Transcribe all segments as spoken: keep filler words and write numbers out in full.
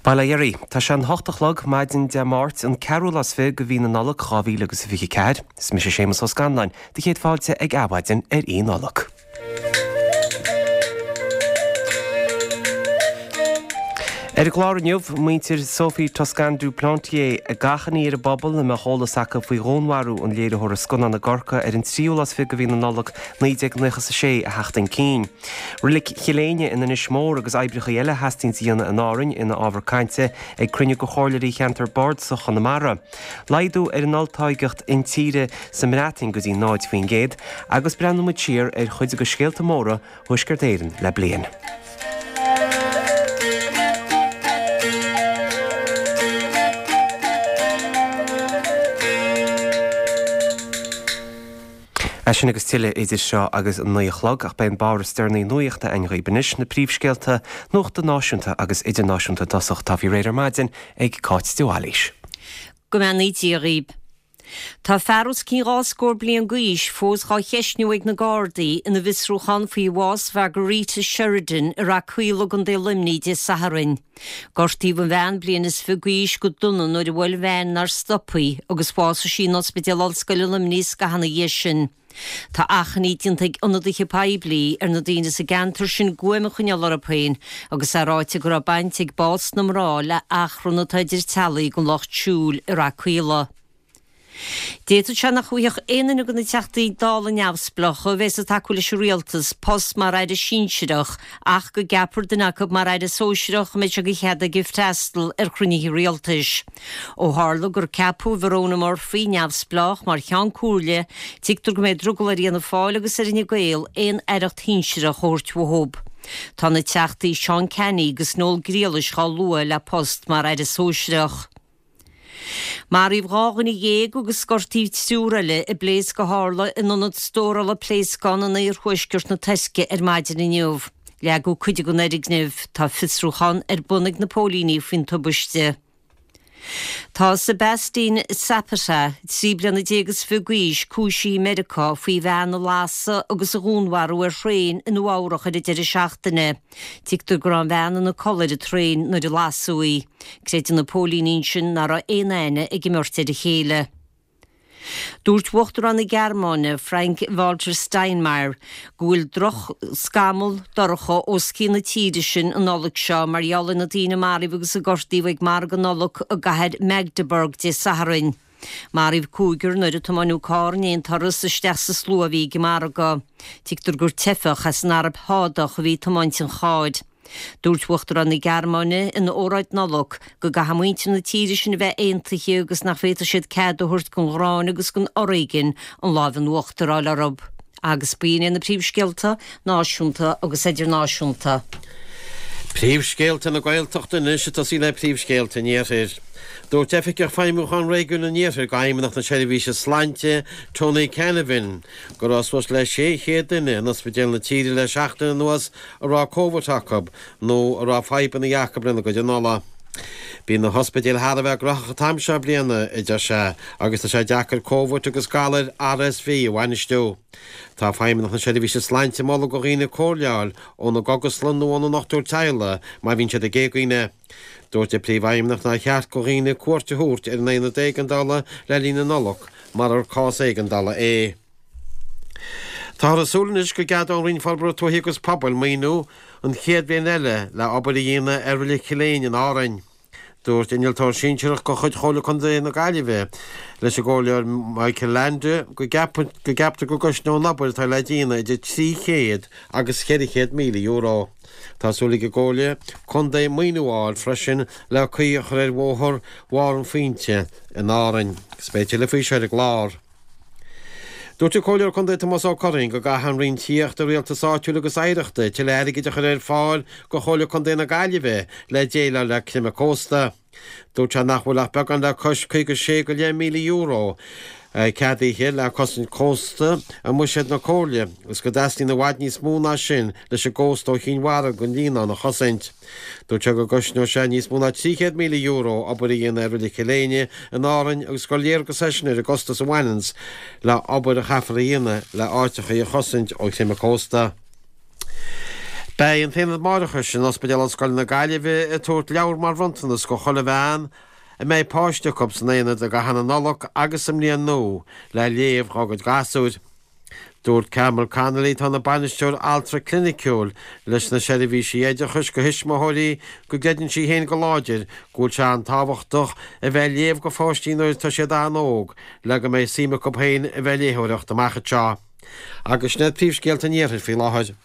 Bail ó Dhia oraibh. Tá sé an hocht a chlog maidin Dé Máirt, an ceathrú lá is fiche de mhí na Nollag dhá mhíle agus a fiche ceathair. Is mise Séamus Ó Scanláin, do chéad fáilte ag Adhmhaidin ar Oíche Nollag. Ar an gclár inniu, muintir Sophie Toscan du Plantier ag achainí ar an bpobal a mbeadh eolas acu faoi dhúnmharú an léiritheora scannán i gCorcaigh ar an tríú lá is fiche de mhí na Nollag naoi déag nócha a sé a theacht chun cinn. Reilig Chill Éinne in Inis Mór agus oibreacha eile a theastaíonns a dhéanamh in Árainn ina ábhar cainte ag cruinniú de chomhairleoirí cheantar Bardasach Chonamara. Laghdú ar an olltáirgeacht intíre sa mBreatain go dtí náid faoin gcéad agus breathnóidh muid siar ar chuid de scéalta móra Thuaisceart Éireann le bliain. É sin agus tuilleadh idir seo agus an naoi a chlog, ach beidh an báire is deireanaí nuachta againn dhaoibh anois, na príomhscéalta nuachta náisiúnta agus idirnáisiúnta i dtosach atá faoi réir ar maidin ag Cáit de Bhailís. Go mbeannaí Dia dhaoibh. Tá fear os cionn dhá scór bliain d'aois fós dhá cheistniú ag na Gardaí ina bhfiosrúchán faoi bhás Mhargarita Sheridan i Rath Caola i gContae Luimnigh Dé Sathairn. Gortaíodh an bhean bliain is fiche d'aois go dona nuair a bhuail veain nár stop í agus bhásaigh sí in Ospidéal Ollscoile Luimnigh scaitheamh ina dhiaidh sin. Tá achainí déanta ag ionadaithe poiblí ar na daoine sa gceantar sin guaim a choinneáil orthu féin agus é ráite go raibh baint ag bás na mná le achrann atá idir teaghlaigh den lucht siúil i Rath Caola. D'fhéadfadh sé nach bhfaigheadh aon duine de na Teachtaí Dála neamhspleácha a bheas ag tacú leis an rialtas post mar aire sinsearach ach go gceapfar duine acu mar aire sóisearach a mbeidh sé de chead aige freastal ar chruinnithe rialtais. Ó tharla gur ceapadh Verona Murphy, neamhspleách, mar Cheann Comhairle, tuigtear go mbeidh drogall ar Fhianna Fáil agus ar Fhine Gael aon aireacht shinsearach a thabhairt uathu. Tá na Teachtaí Seán Canney agus Noel Griallais dhá lua le post mar aire sóisearach. Maraíodh dhá dhuine dhéag agus gortaíodh triúr eile i bpléasc a tharla in ionad stórála pléascán in oirthuaisceart na Tuirce ar maidin inniu. Leagadh cuid den fhoirgneamh. Tá fiosrúchán ar bun ag na póilíní faoin tubaiste. Tá Sebastian Zapata, trí bliana déag is fiche d'aois, cúisithe i Meiriceá faoi bhean a lasadh agus a dhúnmharú ar thraein i Nua Eabhrach ar an deireadh seachtaine. Tuigtear go raibh an bhean ina codladh ar an traein nuair a lasadh í. Creideann na póilíní ansin nach raibh aon aithne ag an mbeirt ar a chéile. Dúirt Uachtarán na Gearmáine, Frank-Walter Steinmeier, go bhfuil drochscamall dorcha os cionn na tíre sin an Nollaig seo mar gheall ar na daoine a maraíodh agus a gortaíodh ag margadh Nollag i gcathair Magdeburg Dé Sathairn. Maraíodh cúigear nuair a tiomáineadh carr in aon turas isteach sa slua a bhí ag an margadh. Tuigtear gur teifeach as an Araib Shádach a bhí ag tiomáint an chairr. Dúirt Uachtarán na Gearmáine ina óráid Nollag go gcaithfidh muintir na tíre sin a bheith aontaithe agus nach bhféadfadh siad cead a thabhairt don ghráin agus don fhoréigean an lámh in uachtar a fháil orthu. Agus b'in iad na príomhscéalta, náisiúnta agus idirnáisiúnta. Príomhscéalta na Gaeltachta anois, ag tosaí le príomhscéalta an Iarthair. Dúirt Oifigeach Feidhmiúcháin Réigiún an Iarthair d'Fheidhmeannacht na Seirbhíse Sláinte, Tony Canavan, go raibh suas le sé chéad duine in ospidéil na tíre le seachtain anuas a raibh Covid acu nó a raibh fadhbanna acu lena gcuid anála. Bíonn na hospidéil thar a bheith gnóthach an t-am seo bliana, a deir sé, agus tá sé deacair Covid agus galair R S V a bhainistiú. Tá Feidhmeannacht na Seirbhíse Sláinte ag moladh do dhaoine comhairle a fháil óna gcógaslann nó óna ndochtúir teaghlaigh má bhíonn siad ag éagaoineadh. Dúirt an Príomhfheidhmeannach nár cheart do dhaoine cuairt a thabhairt ar an aonad éigeandála le linn na Nollag murar cás éigeandála é. Táthar ag súil anois go gceadóidh an Roinn Forbartha Tuaithe agus Pobail maoiniú an chéad bhliain eile le obair a dhéanamh ar Reilig Chill Éinne in Árainn. Dúirt innealtóir sinsearach de chuid Chomhairle Contae na Gaillimhe leis an gComhairleoir Michael Leainde go gceaptar go gcosnóidh an obair atá le déanamh idir trí chéad agus ceithre chéad míle euro. Tá súil ag an gComhairle Contae maoiniú a fháil freisin le caoi a chur ar bhóthar Bharr an Phointe in Árainn. Agus beidh tuilleadh faoi seo ar an gclár. Dúirt an Comhairleoir Contae Tomás Ó Curraoin go gcaithfidh an Roinn Tithíochta, Rialtais Áitiúil agus Oidhreachta tuilleadh airgid a chur ar fáil do Chomhairle Contae na Gaillimhe le déileáil le creimeadh cósta. Dúirt sé nach bhfuil ach beagán le cois caoga sé go leith míle euro ceadaithe le cosaint cósta i mbuiséad na Comhairle agus go dteastaíonn i bhfad níos mó ná sin leis an gcósta ó Chinn Mhara go an Líonán a chosaint. Dúirt sé go gcosnódh sé níos mó ná trí chéad míle euro obair a dhéanamh ar Reilig Chill Éinne in Árainn agus gur léargas é sin ar an gcostas a bhaineanns le obair a chaithfear a dhéanamh le áiteachaí a chosaint ó chreimeadh cósta. Beidh an tAonad Máithreachais in Ospidéal Ollscoile na Gaillimhe ag tabhairt leabhar mar bhronntanas go chuile bhean a mbeidh páiste acu san aonad i gcaitheamh na Nollag agus sa mBliain Nua le léamh dhá gcuid gasúir. Dúirt Carmel Connolly atá ina bainisteoir altra cliniciúil leis na seirbhísí oideachais go thuismitheoirí go gcreideann sí féin go láidir go bhfuil sé an-tábhachtach a bheith ag léamh go pháistí nuair atá siad an-óg le go mbeidh suim acu féin a bheith ag léitheoireacht amach anseo. Agus sin iad príomhscéalta an iarthair faoi láthair.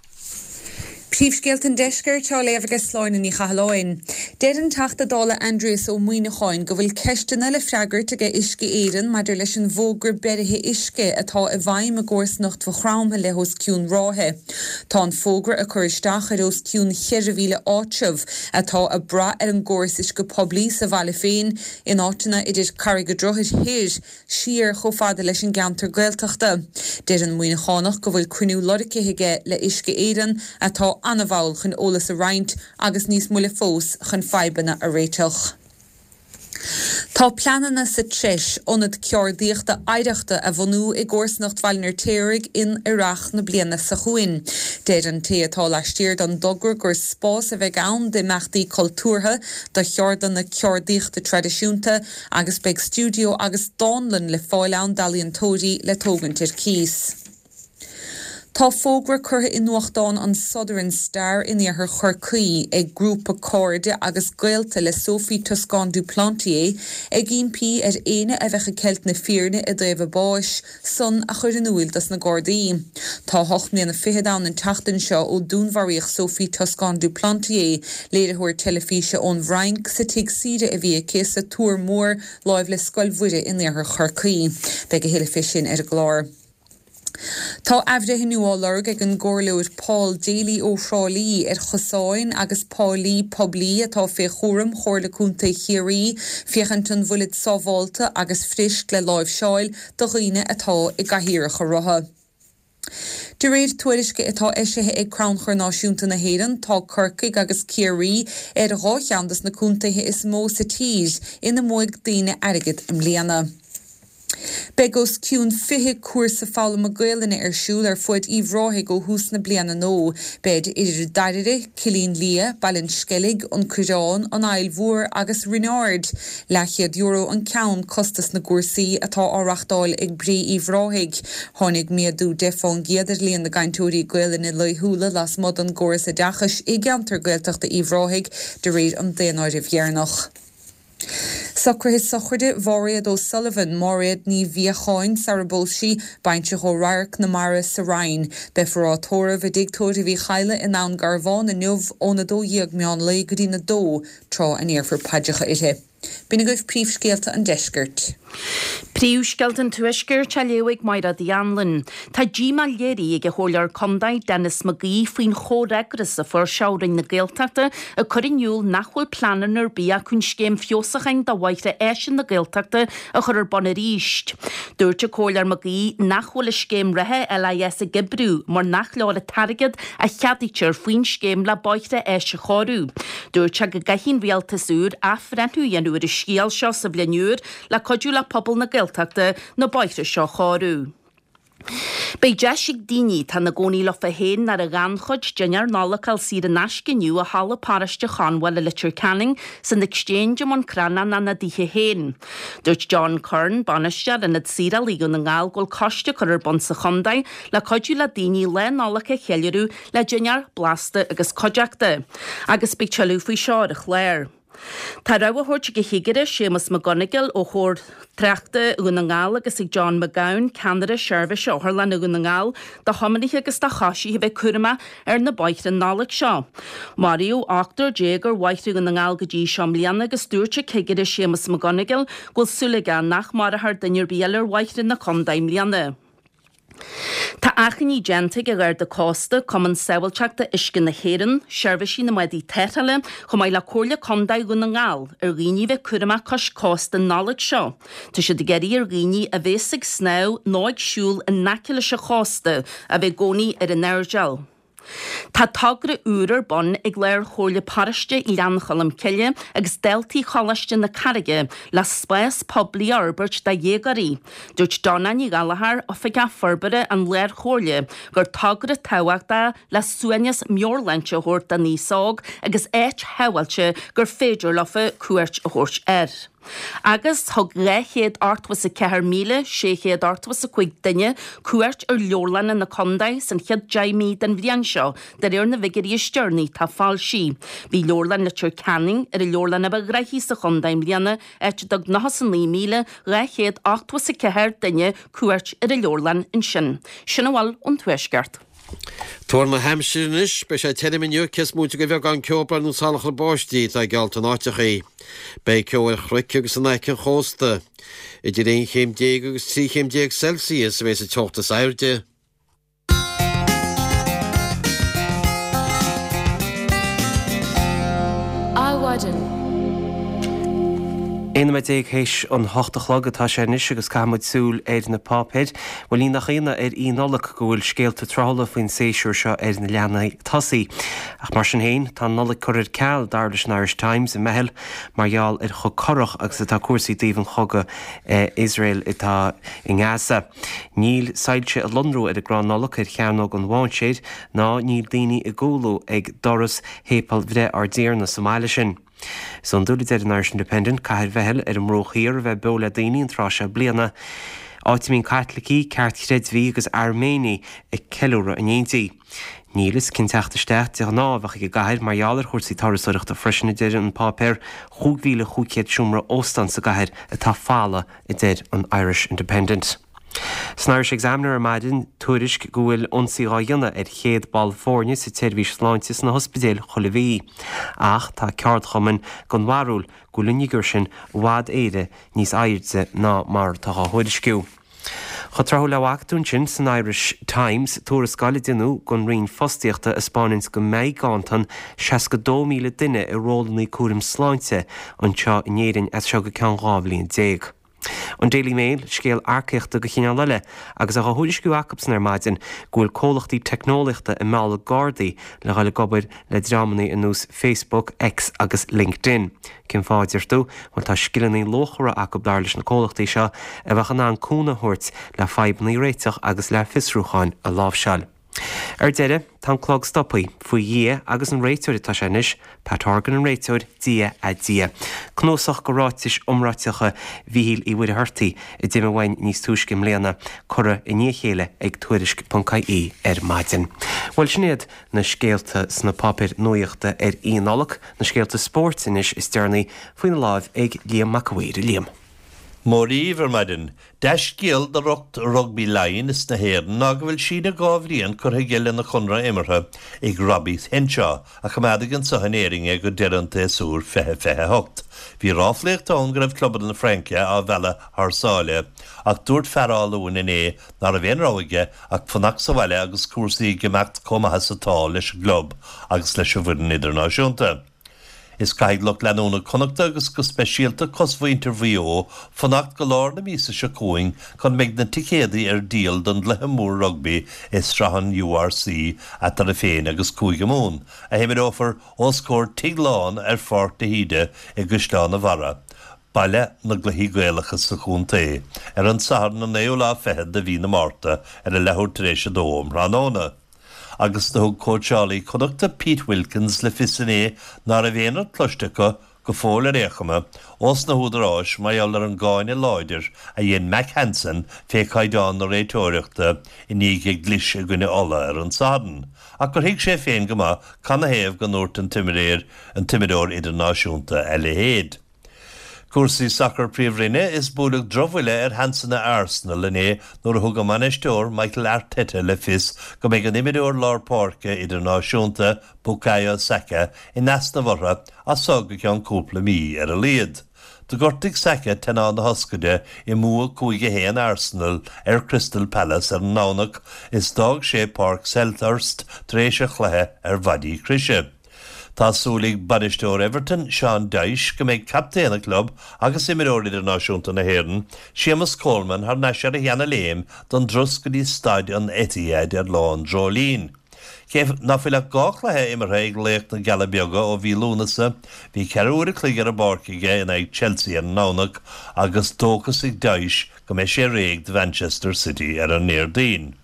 Príomhscéalta an Deiscirt á léamh ag Sláine Ní Chathalláin. Deir an Teachta Dála Aindrias Ó Muimhneacháin go bhfuil ceisteanna le freagairt ag Uisce Éireann maidir leis an bhfógra beirithe uisce atá i bhfeidhm i gcomharsanacht Mhaigh Chromtha le hos cionn ráithe. Tá an fógra ag cur isteach ar os cionn cheithre mhíle áitreabh atá ag brath ar an gcóras uisce poiblí sa bhaile féin in áiteanna idir Carraig an Droichid Thoir siar chomh fada leis an gceantar Gaeltachta. Deir an Muimhneachánach go bhfuil cruinniú lorgtha aige le Uisce Éireann atá an-mhall chun eolas a roinnt agus níos moille fós chun fadhbanna a réiteach. Tá pleananna sa treis ionad ceardaíochta oidhreachta a bhunú i gcomharsanacht Bhaile an Fheirtéaraigh in earrach na bliana seo chugainn. Deir an té atá laistiar den dtogra gur spás a bheidh ann d'imeachtaí cultúrtha, do cheardlanna ceardaíochta traidisiúnta agus beidh stiúideo agus dánlann le fáil ann d'ealaíontóirí le tógaint ar cíos. Tá fógra curtha i nuachtán an Southern Star in iarthar Chorcaí ag grúpa cairde agus gaolta le Sophie Toscan du Plantier ag impí ar éinne a bheadh ag ceilt na fírinne i dtaobh a báis san a chur in iúl dos na Gardaí. Tá ocht mbliana fichead ann an tseachtain seo ó dúnmharaíodh Sophie Toscan du Plantier, léiritheoir teilifíse ón bhFrainc, sa tigh saoire a bhí aici sa Tuar Mór láimh le Scoil Mhuire in iarthar Chorcaí. Beidh a thuilleadh fé sin ar an gclár. Tá athbhreithniú á lorg ag an gComhairleoir Paul Daly ó Thrá Lí ar chosáin agus páilí poiblí atá fé chúram Chomhairle Contae Chiarraí féachaint an bhfuilid sábháilte agus fuirist le láimhseáil do dhaoine atá i gcathaoireacha rotha. De réir tuairisce atá eisithe ag Crannchur Náisiúnta na hÉireann, tá Corcaigh agus Ciarraí ar dhá cheann dos na contaetha is mó sa tír ina mbuaigh daoine airgead i mbliana. Beidh os cionn fiche cúrsa foghlama Gaelainne ar siúl ar fuaid Uíbh Ráthaigh ó thús na bliana nua. Beid idir Dairire, Cillín Liath, Baile an Sceilg, An Coireán, An Aill Mhór agus Rinn Ard. Leathchéad euro an ceann costas na gcúrsaí atá á reachtáil ag Bré Uíbh Ráthaigh. Tháinig méadú deich fán gcéad ar líon na gcainteoirí Gaelainne laethúla lasmuigh den gcóras oideachais i gceantar Gaeltachta Uíbh Ráthaigh de réir an daonáirimh dheireanach. Socruithe sochraide Mháiréad O'Sullivan, Máiréad Ní Mhíocháin sara bpós sí, baintreach ó Radharc na Mara sa Rinn. Beifear á tórramh i dTigh Tórraimh Uí Chadhla i nDún Garbhán inniu óna dó dhéag meán lae go dtína dó, tráth a ndéarfar paidreacha uirthi. B'in agaibh príomhscéalta an deiscirt. Príomhscéalta an Tuaiscirt á léamh ag Máire Uí Anluain. Tá díomá léirithe ag an Chomhairleoir Contae Denis McGee faoin chomhfhreagras a fuair sé ó Roinn na Gaeltachta ag cur in iúl nach bhfuil pleananna ar bith acu an scéim feabhsúcháin do bhóithre áise na Gaeltachta a chur ar bun arís. Dúirt an Comhairleoir McGee nach bhfuil an scéim reatha LIS ag oibriú mar nach leor an t-airgead a cheadaítear faoin scéim le bóithre áise a chóiriú. Dúirt sé go gcaithfidh an rialtas úr athbhreithniú a dhéanamh ar an scéal seo sa bhliain úr le cuidiú le pobal na Gaeltachta na bóithre seo a chóiriú. Beidh deis ag daoine atá ina gcónaí leofa féin nó ar an ghannchuid dinnéar Nollag a fháil saor in aisce inniu i Halla Paróiste Chonbháil i Leitir Ceanainn, san Exchange i mBun Cranncha ina dtithe féin. Dúirt John Curran, Bainisteoir Ionad Saorálaí Dhún na nGall go bhfuil coiste curtha ar bun sa chontae le cuidiú le daoine Lá Nollag a cheiliúradh le dinnéar blasta agus cuideachta. Agus beidh tuilleadh faoi seo ar an chlár. Tá rabhadh á thabhairt ag an Chigire Séamus Mac Gonigle ó Chór Tráchta Dhún na nGall agus ag John McGowan, Ceannaire Seirbhíse Otharlainne Dhún na nGall, do thiománaithe agus do choisithe a bheith cúramach ar na bóithre an Nollaig seo. Maraíodh ochtar déag ar bhóithre Dhún na nGall go dtí seo i mbliana agus dúirt an Cigire Séamus Mac Gonigle go bhfuil súil aige nach marófar duine ar bith eile ar bhóithre na contae i mbliana. Tá achainí déanta ag an Gharda Cósta, Cumann Sábháilteachta Uisce na hÉireann, Seirbhísí na mBádaí Tarrthála, chomh maith le Comhairle Contae Dhún na nGall, ar dhaoine a bheith cúramach cois cósta an Nollaig seo. Tá siad ag iarraidh ar dhaoine a bhéas ag snámh nó ag siúl in aice leis an chósta a bheith i gcónaí ar a n-airdeall. Tá togra úr ar bun ag Lár-Chomhairle Paróiste Ghleann Cholm Cille agus daltaí Choláiste na Carraige le spás poiblí a fhorbairt do dhéagóirí. Dúirt Donna Ní Ghallchóir, Oifigeach Forbartha an Lár-Chomhairle, gur togra tábhachtach le suaimhneas meabhairshláinte a thabhairt don aos óg agus áit shábháilte gur féidir leofa cuairt a thabhairt air. Agus thug dhá chéad ochtó is a ceathair míle sé chéad ochtó is a cúig duine cuairt ar leabharlanna na contae san chéad deich mí den bhliain seo, de réir na bhfigiúirí is deireanaí atá foilsithe. Bhí leabharlann Leitir Ceanainn ar an leabharlann a ba ghnaithí sa chontae i mbliana, áit a dtug nócha is a naoi míle dhá chéad ochtó is a ceathair duine cuairt ar an leabharlann ansin. Sin a bhfuil ón Tuaisceart. Tuar na haimsire anois, beidh sé tirim inniu, cé is móite de bheagán ceobhrán nó salachar báistí atá geallta in áiteachaí. Beidh ceo ar chnoic agus in aice an chósta. Idir aon chéim déag agus trí chéim déag Celsius a bheidh sa teocht is airde. Adhmhaidin. Aon nóiméad déag théis an hocht a chlog atá sé anois agus caithfidh muid súil ar na páipéir. Bhuel, ní nach ionadh ar Oíche Nollag go bhfuil scéalta tráthúla faoin séasúr seo ar na leathanaigh tosaigh. Ach mar sin féin, tá an Nollaig curtha ar ceal, dar leis an Irish Times i mBeithil, mar gheall ar chomh corrach agus atá cúrsaí i dtaobh an chogadh Iosrael atá i nGaza. Níl soilse ag lonrú ar an gcrann Nollag ar Chearnóg an Mháinséir ná níl daoine ag cúlú ag doras Shéipéal Bhreith Ár dTiarna sa mbaile sin. Is iondúil, a deir an Irish Independent, cathair Bheithil ar an mBruach Thiar a bheith beo le daoine an tráth seo bliana, áit a mbíonn Caitlicigh, Ceartchreidmhigh agus Airméanaigh ag ceiliúradh in éindí. Níl fhios cén teacht isteach de ghnáth a bheadh ag an gcathair mar gheall ar chúrsaí turasóireachta freisin, a deir an páipéar. Chúig mhíle chúig chéad seomra óstán sa gcathair atá folamh, a deir an Irish Independent. San Irish Examiner ar maidin, tuairisc go bhfuil ionsaí dhá dhéanamh ar chéad ball foirne sa tseirbhís sláinte sna hospidéil chuile mhí. Ach tá ceardchumainn den bharúil go bhfuil an fhigiúr sin i bhfad Éireann níos airde ná mar atá dhá thuairisciú. Chomh tráthúil le bhfaca tú ansin san Irish Times, tuarascáil a deineadh don Roinn Fostaíochta a 'spáineanns go mbeidh ganntan seasca dó míle duine i rólanna cúraim sláinte anseo in Éirinn as seo go ceann dhá bhliain déag. An Daily Mail, scéal earcaíochta de chineál eile, agus é á thuairisciú acubsan ar maidin go bhfuil comhlachtaí teicneolaíochta ag mealladh gardaí le dhul ag obair le dreamanna ar nós Facebook, X agus LinkedIn. Cén fáth, a deir tú? Bhuel, tá scileanna luachmhara acu, dar leis na comhlachtaí seo, a bheadh in ann cúnamh a thabhairt le fadhbanna a réiteach agus le fiosrúcháin a láimhseáil. Ar deireadh, tá an clog stoptha, faoi Dhia agus an réiteoir atá sé anois, Pat Horgan an réiteoir, Dia a' Dia. Cnuasach de ráitis iomráiteacha Mhíchíl Uí Mhuircheartaigh a d'imigh uainn níos túisce i mbliana, curtha i ndiaidh a chéile ag Tuairisc ponc ie ar maidin. Bhuel, sin iad na scéalta sna páipéir nuaíochta ar Oíche Nollag, na scéalta spóirt anois is deireanaí faoina láimh ag Liam Mac a' Mhaoir. A Liam. Mora dhaoibh ar maidin. Dea-scéal do lucht rugbaí Laighean is na hÉireann ná go bhfuil síneadh dhá bhliain curtha aige lena chonradh imeartha ag Robbie Henshaw, a choimeádfaidh anseo in Éirinn é go deireadh an tséasúir fiche fiche a hocht. Bhí ráflaíocht ann go raibh clubanna na Fraince á mhealladh thar sáile ach dúirt fear Áth Luain inné ná raibh aon rogha aige ach fanacht sa bhaile agus cúrsaí ag imeacht chomh maith is atá leis an gclub agus leis an bhfoireann idirnáisiúnta. Is caithfidh lucht leanúna Connachta agus go speisialta cosmhuintir Mhaigh Eo fanacht go lár na míosa seo chugainn chun mbeidh na ticéadaí ar díol don gcluiche mór rugbaí i sraith an URC eatarthu féin agus Cúige Mumhan, a himreofar os comhair tigh lán ar Pháirc de hÍde i gCaisleán an Bharraigh, baile na gcluichí Gaelacha sa chontae, ar an Satharn an naoú lá fichead de mhí na Márta ar a leathuair tar éis a dó um thráthnóna. Agus do thug cóitseálaí Connachta Pete Wilkins le fios inné ná raibh aon rud cloiste acu, go fóill ar aon chuma, ós na húdaráis mar gheall ar an gcáineadh láidir a dhein Mack Hansen fé chaighdeán na réiteoireachta i ndiaidh a gclis i gcoinne Uladh ar an Satharn, ach gur thuig sé féin go maith canathaobh go ndúirt an t-imreoir idirnáisiúnta a leithéid. Cúrsaí Sacair Príomhroinne, Is buaileadh drochbhuille ar sheansanna Arsenal inné nuair a thug a mbainisteoir Mikel Arteta le fios go mbeidh an imreoir lár páirce idirnáisiúnta Bukayo Saka in easnamh orthu as so go ceann cúpla mí ar a laghad. Do ghortaigh Saka teannán na hioscaide i mbua cúig a haon Arsenal ar Crystal Palace ar an nDomhnach is d'fhág sé Páirc Selhurst tar éis an chluiche ar mhaidí croise. Tá súil ag bainisteoir Everton, Sean Dyche, go mbeidh captaen an chlub agus imreoir idirnáisiúnta na hÉireann, Séamus Coleman, thar n-ais ar a sheana-léim don dturas go dtí staid an Etihad ar Lá an Dreoilín. Cé ná fuil ach dhá chluiche imeartha ag laoch na gCealla Beaga ó mhí Lúnasa, bhí ceithre uair a chloig ar an bpáirc aige in aghaidh Chelsea ar an nDomhnach agus dóchas ag Dyche go mbeidh sé réidh do Mhanchester City ar an nDéardaoin.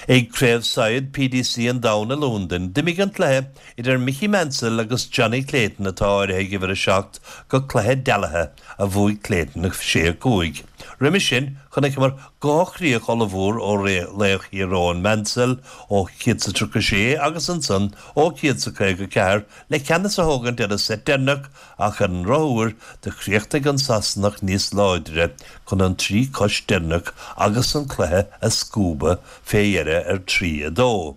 Ag Craobh Saighead PDC an Domhain i Londain, d'imigh an cluiche idir Mickey Mansell agus Johnny Clayton atá áirithe ag uimhir a seacht go cluiche dealaithe a bhuaigh Clayton sé a cúig. Roimhe sin, chonaiceamar dhá chríoch ollmhór ó laoch Thír Eoghain Mansell ó céad is a tríocha sé agus ansan ó céad is a caoga ceathair le ceannas a thógaint ar an seit deireanach ach ar an ndrochuair do chríochnaigh an Sasanach níos láidre chun an trí cois deireanach agus an cluiche a scuabadh fé dheireadh ar trí a dó.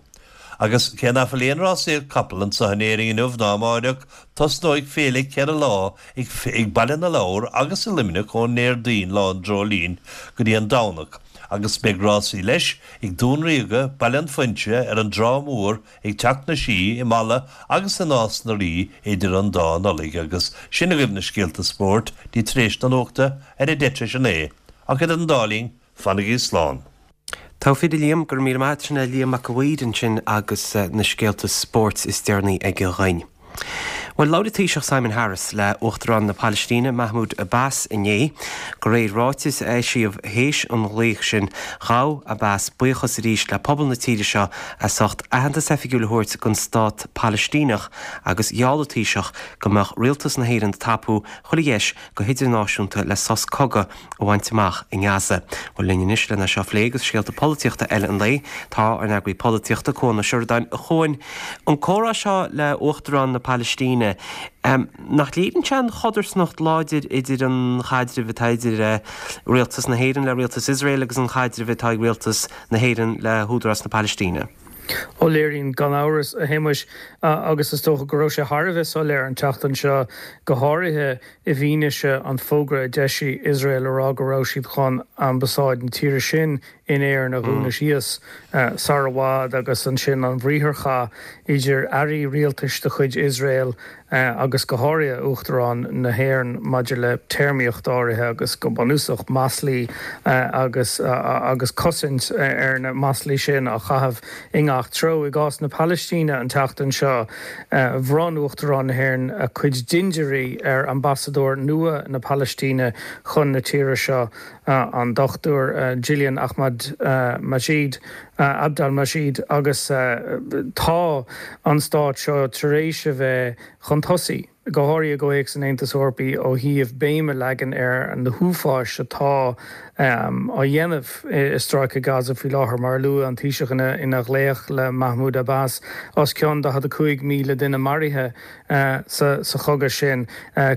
Agus cé ná fuil aon rásaíocht capall anseo in Éirinn inniu ná amáireach, tosnóidh féile ceithre lá ag ag Baile na Lobhar agus i Luimneach ón nDéardaoin, Lá an Dreoilín, go dtí an Domhnach, agus beidh rásaí leis ag Dún Ríoga, Baile an Phointe, ar an dTrá Mhór, ag Teach na Sí, i Mala agus i Nás na Rí idir an dá Nollaig. Agus sin agaibh na scéalta spóirt, dtí tar éis na nuachta ar a deich tar éis a naoi. Ach idir an dá linn, fanaigí slán. Tá fíor a Liam, go raibh míle maith agat, sin é Liam Mac a' Mhaoir ansin agus na scéalta spóirt is deireanaí aige dhúinn. Bhuel, labhair an Taoiseach Simon Harris le Uachtarán na Palaistíne Mahmoud Abbas inné. De réir ráitis a eisíodh théis an ghlaoich sin, ghabh Abbas buíochas arís le pobal na tíre seo as ucht aitheantas oifigiúil a thabhairt don stát Palaistíneach agus gheall an Taoiseach go mbeadh rialtas na hÉireann ag tapú chuile dheis go hidirnáisiúnta le sos cogaidh a bhaint amach i nGaza. Bhuel, linn anois lena seo a phlé agus scéalta polaitíochta eile an lae, tá ár n-eagraí polaitíochta, Cuan Ó Seireadáin. A Chuain, an comhrá seo le Uachtarán na Palaistíne, nach léiríonn sé an chodarsnacht láidir idir an chaidreamh atá idir rialtas na hÉireann le rialtas Iosrael agus an chaidreamh atá ag rialtas na hÉireann le hÚdarás na Palaistíne? Ó léiríonn gan amhras, a Shéamais, agus is dócha go raibh sé thar a bheith soiléir an tseachtain seo, go háirithe i bhfianaise an fógra a d'eisigh Iosrael a rá go raibh siad chun ambasáid na tíre sin in Éirinn a dhúnadh síos sar i bhfad agus ansin an bhriatharchath idir airí rialtais de chuid Iosrael agus go háirithe Uachtarán na hÉireann maidir le téarmaíocht áirithe agus go bunúsach maslaí agus agus cosaint ar na maslaí sin á chaitheamh i ngach treo. I gcás na Palaistíne an tseachtain seo, bhronn Uachtarán na hÉireann a cuid dindiúirí ar ambasadóir nua na Palaistíne chun na tíre seo, an Dochtúir Gillian Ahmad Majid, Abdel Majid, agus tá an stát seo tar éis a bheith chun tosaigh, go háirithe i gcomhthéacs an Aontais Eorpaigh ó thaobh béim a leagan ar na huafáis atá á dhéanamh i Stráice Gaza faoi láthair. Mar a luaigh an Taoiseach ina ghlaoch le Mahmoud Abbas, os cionn daichead a cúig míle duine maraithe sa chogadh sin,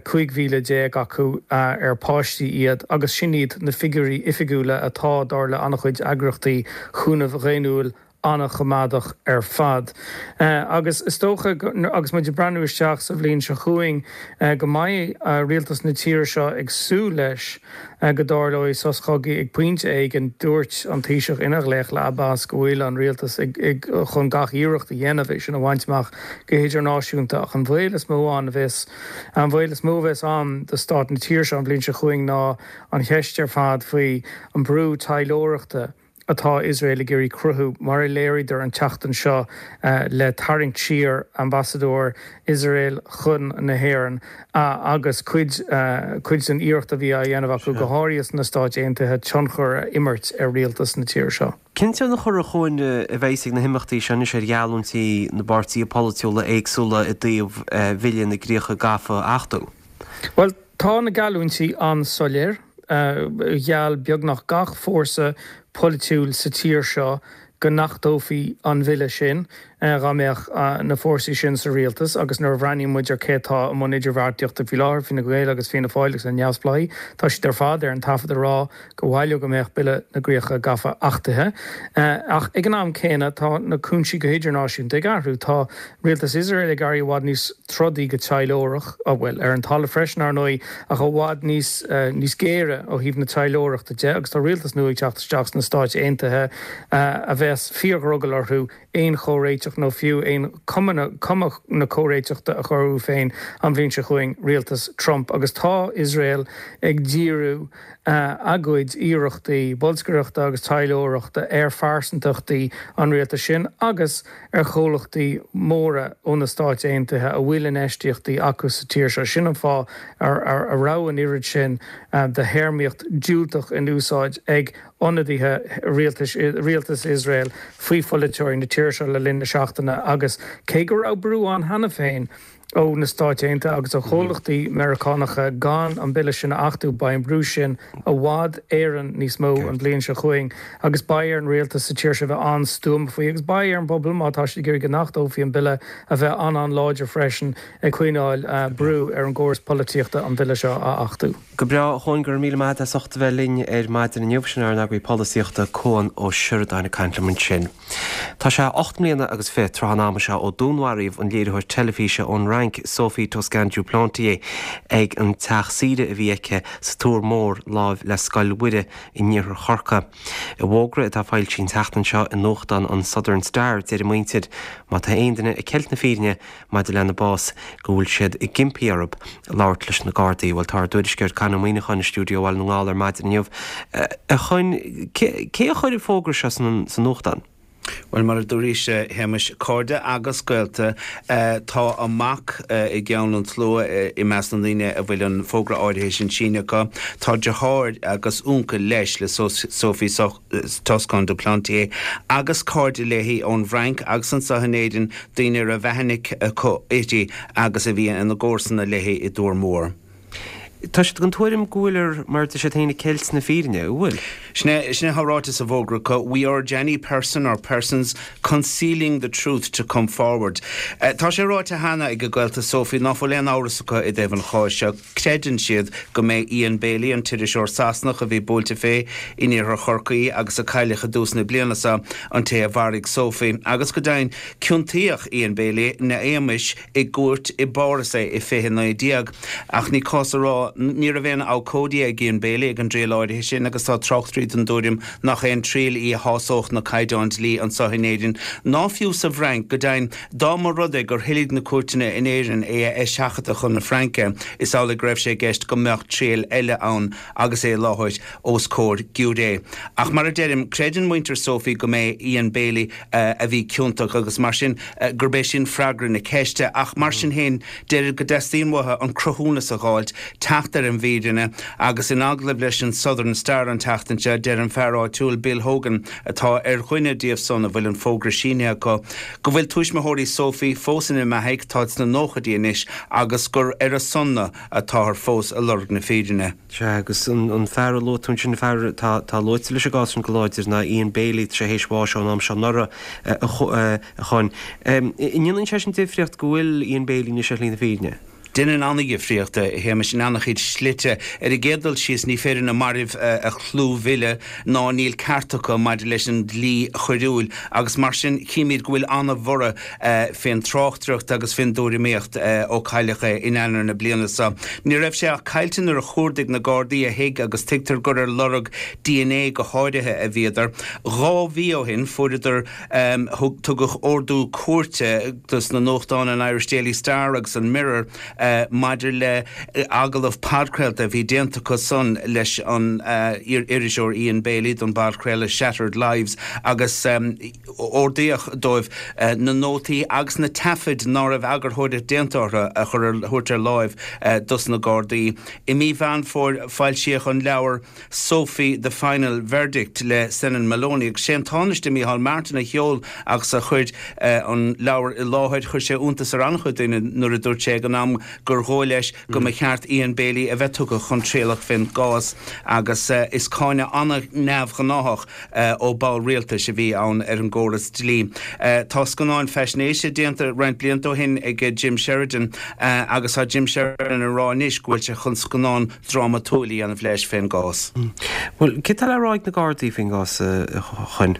cúig mhíle déag acu ar páistí iad, agus sin iad na figiúirí oifigiúla atá, dar le an-chuid eagraíochtaí chúnaimh dhaonnúil, an-choimeádach ar fad. Agus is dócha, agus muid ag breathnú isteach sa bhliain seo chugainn, go mbeidh rialtas na tíre seo ag súil leis go dtarlóidh sos cogaidh ag pointe éigin. Dúirt an Taoiseach ina ghlaoch le Abbas go bhfuil an rialtas ag chun gach iarracht a dhéanamh é sin a bhaint amach go hidirnáisiúnta ach an baol is mó ann a bheas an baol is mó a bheas ann do stát na tíre seo an bhliain seo chugainn ná an cheist ar fad faoi an brú taidhleoireachta atá Iosrael ag iarraidh cruthú, mar a léiríodar an tseachtain seo le tarraingt siar ambasadóir Iosrael chun na hÉireann agus cuid cuid den iarracht a bhí á dhéanamh acu, go háirithe sna Stáit Aontaithe, tionchar a imirt ar rialtas na tíre seo. Cén tionchar, a Chuain, a bheas ag na himeachtaí seo anois ar gheallúintí na bpáirtithe polaitiúla éagsúla i dtaobh Bhille na gCríocha Gafa a achtú? Bhuel, tá na geallúintí an-soiléir. Gheall beagnach gach fórsa polaitiúil sa tír seo go n-achtófaí an bhille sin dá mbeadh na fórsaí sin sa rialtas agus nuair a bhreathnaíonn muid ar cé atá i mbun idirbheartaíochta faoi láthair, Fine Gael agus Fianna Fáil agus na Neamhspleáigh, tá siad ar fad ar an taifead ag rá gur mhaith leo go mbeadh Bille na gCríocha Gafa achtaithe. Ach ag an am céanna tá na cúinsí go hidirnáisiúnta ag athrú. Tá rialtas Iosrael ag éirí i bhfad níos trodaí go taidhleoireach, bhuel, ar an talamh freisin, ar ndóigh, ach i bhfad níos níos géire ó thaobh na taidhleoireachta de, agus tá rialtas nua ag teacht isteach sna Stáit Aontaithe a bheas bheas fíordhrogall orthu aon chomhréiteach nó fiú aon chuma na comhréiteachta a chur orthu féin an bhliain seo chugainn, rialtas Trump. Agus tá Iosrael ag díriú a gcuid iarrachtaí bolscaireachta agus taidhleoireachta ar phearsantachtaí an rialtais sin agus ar chomhlachtaí móra ó na Stáit Aontaithe a bhfuil infheistíochtaí acu sa tír seo. Sin an fáth a raibh an oiread sin de théarmaíocht diúltach in úsáid ag ionadaithe rialtais rialtas Iosrael faoi pholaiteoirí na tíre seo le linn na seachtaine agus cé go raibh brú ann cheana féin ó na Stáit Aontaithe agus ó chomhlachtaí Meiriceánacha gan an bille sin a achtú, beidh an brú sin i bhfad Éireann níos mó an bhliain seo chugainn agus beidh ar an rialtas sa tír seo bheith an-stuama faoi agus beidh ar an bpobal, má tá siad ag iarraidh go n-achtófaí an bille, a bheith an-an-láidir freisin ag coinneáil brú ar an gcóras polaitíochta an bille seo a achtú. Go breá, a Chuain, go raibh míle maith agat as ucht a bheith linn ar maidin inniu. Sin ár n-eagraí polaitíochta, Cuan Ó Seireadáin ag caint liom ansin. Tá sé ocht mbliana agus fiche tráth an ama seo ó dúnmharaíodh an léiritheoir teilifíse ón Fhrainc, Sophie Toscan du Plantier, ag an teach saoire a bhí aici sa Tuar Mór láimh le Scoil Mhuire in iarthar Chorcaí. I bhfógra atá foilsithe an tseachtain seo i nuachtán an Southern Star, deir a muintir, má tá aon duine ag ceilt na fírinne maidir lena bás, go bhfuil siad ag impí orthu labhairt leis na Gardaí. Bhuel, tá ár dtuairisceoir Con Ó Muíneacháin i stiúideo Bhaile na nGall ar maidin inniu. A Choinn, cé a chuir an fógra seo sa nuachtán? Bhuel, mar a dúraís, a Shéamais, cairde agus gaolta, tá a mac i gceann an tslua i measc na ndaoine a bhfuil an fógra áirithe sin sínithe acu. Tá deartháir agus uncail leis, le Sophie Toscan du Plantier, agus cairde léi ón bhFrainc agus anseo in Éirinn, daoine a raibh aithne acu uirthi agus a bhí ina gcomharsana léi i dTuar Mór. Tá siad den tuairim go bhfuiltear, mar a deir siad féin, ag ceilt na fírinne, an bhfuil? Sin é, sin é atá ráite sa bhfógra acu, We urge any person or persons concealing the truth to come forward. Tá sé ráite cheana ag gaolta Sophie ná fuil aon amhras acu i dtaobh an cháis seo. Creideann siad go mb'é Ian Bailey, an t-iriseoir Sasanach a bhí buailte fé in iarthar Chorcaí agus a cailleadh i dtús na bliana seo, an té a mharaigh Sophie. Agus go deimhin, ciontaíodh Ian Bailey ina éagmais i gcúirt i bPáras é i fiche naoi déag. Ach ní cás a rá, ní raibh aon abhcóide ag Ian Bailey ag an dtriail áirithe sin agus tá tráchtairí den dtuairim nach aon triail í a shásódh na caighdeáin dlí anseo in Éirinn, ná fiú sa bhFrainc. Go deimhin, dá mba rud é gur thoiligh na cúirteanna in Éirinn é a eiseachadadh chun na Fraince, is amhlaidh go raibh sé i gceist go mbeadh triail eile ann agus é i láthair os comhair giúiré. Ach mar a deirim, creideann muintir Sophie go mb'é Ian Bailey a bhí ciontach agus mar sin gurb é sin freagra na ceiste. Ach mar sin féin, deirid go dteastaíonn uathu an cruthúnas a dh'fháilt, teacht ar an bhfírinne agus in agallamh leis an Southern Star an tseachtain seo, deir an fear áitiúil Bill Hogan, atá ar dhuine díobh san a bhfuil an fógra sínithe acu, go bhfuil tuismitheoirí Sophie fós ina mbeathaidh, táid sna nóchaidí anois, agus gur ar a son-na atáthar fós ag lorg na fírinne. Sea, agus an fear a luaigh tú ansin, an fear atá luaite leis an gcás sin go láidir ná Ian Bailey, tá sé théis bháis ón am seo anuraidh, a Choinn. An ndéanann sé sin difríocht go bhfuil Ian Bailey anois ar shlí na fírinne? Déanann an-dhifríocht, a Shéamais, in an-chuid slite. Ar an gcéad dul síos, ní féidir na mairbh a chlúmhilleadh ná níl ceart acu maidir leis an dlí choiriúil agus mar sin chímid go bhfuil an-bhorradh fén tráchtaireacht agus fén dtuairimíocht ó cailleadh é in Eanáir na bliana seo. Ní raibh sé ach caillte nuair a chuardaigh na Gardaí a thigh agus tuigtear gur ar lorg dna go háirithe a bhíodar. Dhá mhí ó shin fuaireadar, tugadh ordú cúirte dos na nuachtáin an Irish Daily Star agus an Mirror, maidir le agallamh podchraolta a bhí déanta acu san leis an iriseoir Ian Bailey don bpodchraoladh Shattered Lives agus ordaíodh dóibh na nótaí agus na taifid ná raibh eagarthóireacht déanta orthu a chur a thabhairt ar láimh dos na Gardaí. I mí Mheán Fómhair foilsíodh an leabhar Sophie, The Final Verdict le Senan Moloney agus sé an Tánaiste Micheál Martin a sheol agus a chuir an leabhar i láthair. Chuir sé iontas ar an-chuid daoine nuair a dúirt sé ag an am gur dhóigh leis go mba cheart Ian Bailey a bheith tugtha chun trialach fén gcás agus is cáineadh an-neamhghnáthach ó ball rialtais a bhí ann ar an gcóras dlí. Tá scannáin faisnéise déanta roinnt blianta ó shin ag Jim Sheridan agus tá Jim Sheridan ag rá anois go bhfuil sé chun scannán drámatúil a dhéanamh leis fén gcás. Bhuel, céard tá le rá ag na Gardaí faoin gcás, a Choinn?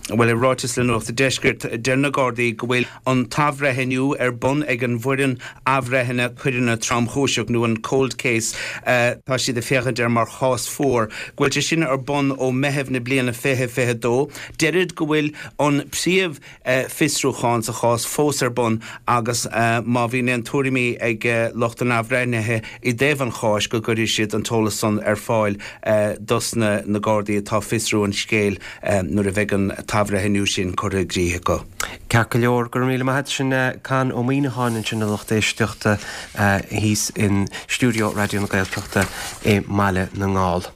Bhuel, i ráiteas le Nuacht an Deiscirt, deir na Gardaí go bhfuil an t-athbhreithniú ar bun ag an bhfoireann athbhreithnithe coireanna tromchúiseach nó an cold case, tá siad ag féachaint air mar chás fuar, go bhfuil sé sin ar bun ó Meitheamh na bliana fiche fiche dó. Deirid go bhfuil an príomh fiosrúchán sa chás fós ar bun agus má bhíonn aon tuairimí ag lucht an athbhreithnithe i dtaobh an cháis go gcuirfidh siad an t-eolas san ar fáil dos na na Gardaí atá ag fiosrú an scéil nuair a bheidh an t-athbhreithniú sin curtha i gcrích acu. Ceart go leor, go raibh míle maith agat. Sin Con Ó Muíneacháin ansin a lucht éisteachta thíos in stiúideo Raidió na Gaeltachta i mBaile na nGall.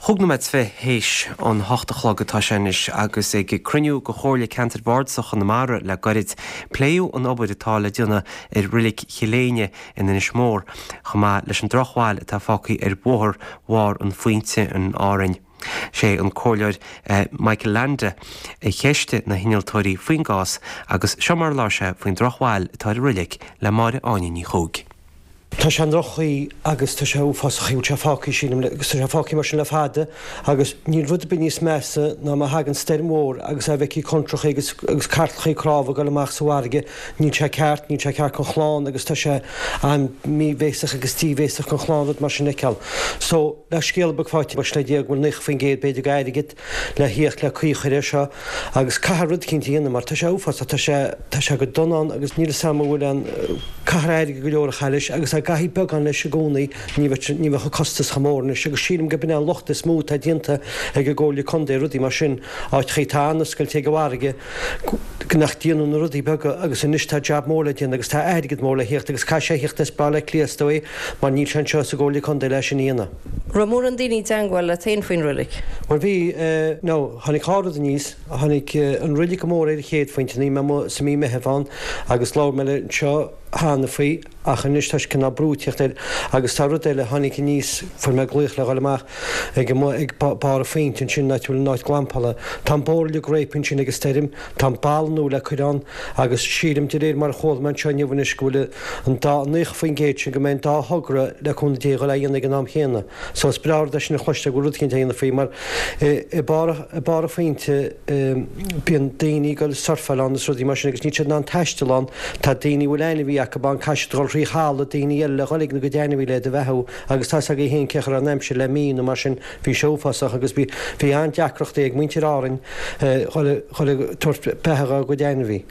Chúig nóiméad is fiche théis an hocht a chlog atá sé anois agus ag cruinniú de Chomhairle Ceantair Bhardasach Chonamara le gairid, pléadh an obair atá le déanamh ar Reilig Chill Éinne in Inis Mór, chomh maith leis an drochbhail atá fágtha ar Bhóthar Bharr an Phointe in Árainn. Sé an Comhairleoir Michael Leainde a cheistigh na hinnealtóirí faoin gcás agus seo mar a labhair sé faoin drochbhail atá ar an reilig le Máire Áine Ní Chuaig. Tá sé i ndroch-chaoi agus tá sé uafásach, bhfuil sé fágtha, sílim, agus tá sé fágtha mar sin le fada agus níl rud ar bith níos measa ná má thagann stoirm mhór agus a bhfeicfidh contrácha agus agus cartlachaí cnámha ag dul amach sa bhfarraige, níl sé ceart, níl sé ceart don chlann agus tá sé an-mhíbhéasach agus díbhéasach don chlann rud mar sin a fheiceáil. So, le scéala beag faighte le déag bhfuil naocha faoin gcéad b'fhéidir d'airgead le thíocht le caoi a chur air seo agus caithfear rud eicínt a dhéanamh mar tá sé uafásach, tá sé, tá sé go dona ann agus níl 'fhios a'm an bhfuil an, caithfear airgead go leor a chaitheamh leis agus dá gcaithfí beagán leis i gcónaí ní bheadh, ní bheadh an costas chomh mór anois agus sílim gurb in é an locht is mó atá déanta ag an gComhairle Contae, rudaí mar sin, áiteachaí atá an-oscailte ag an bhfarraige nach déanadh na rudaí beaga agus anois tá jab mór le déanamh agus tá airgead mór le thíocht agus caithfidh sé a thíocht as Baile Átha Cliath is dóigh mar níl sé anseo sa gComhairle Contae le sin a dhéanamh. Raibh mórán daoine i dteangmháil leat féin faoin roilig? Bhuel bhí, now tháinig dhá rud aníos, tháinig an roilig go mór ar an chéad phointe, bhí mé amuigh sa mí Meitheamh ann agus labhair mé le anseo cheana faoi ach anois tá sé cineál brú ag tíocht air agus tá rud eile tháinig aníos, fuair mé glaoch le dhul amach ag amuigh ag barr an phointe ansin an áit a bhfuil an áit glampála. Tá an bóthar uilig réabtha ansin ag an stoirm, tá an balla nua le cur ann agus sílim de réir mar a chuala mé anseo inniu anois go bhfuil an dá naocha faoin gcéad sin go mbeidh an dá thogra le cúnamh Dé a dhul á dhéanamh ag an am chéanna. So is breá rud é sin a chloisteáil go bhfuil rud eicínt á dhéanamh faoi mar i barr i barr an phointe bíonn daoine ag dul surfáil ann is rudaí mar sin agus níl siad in ann taisteal ann. Tá daoine a bhfuil ainmhí acu ann caithfidh siad dul thrí thalamh daoine eile le dhul ag na gcuid ainmhí le iad a bheathú agus tá's agaibh féin cén chaoi a raibh an aimsir le mí nó mar sin bhí sé uafásach agus bhí bhí an-deacrachtaí ag muintir Árainn dhul dhul ag tabhairt beatha dhá gcuid ainmhí.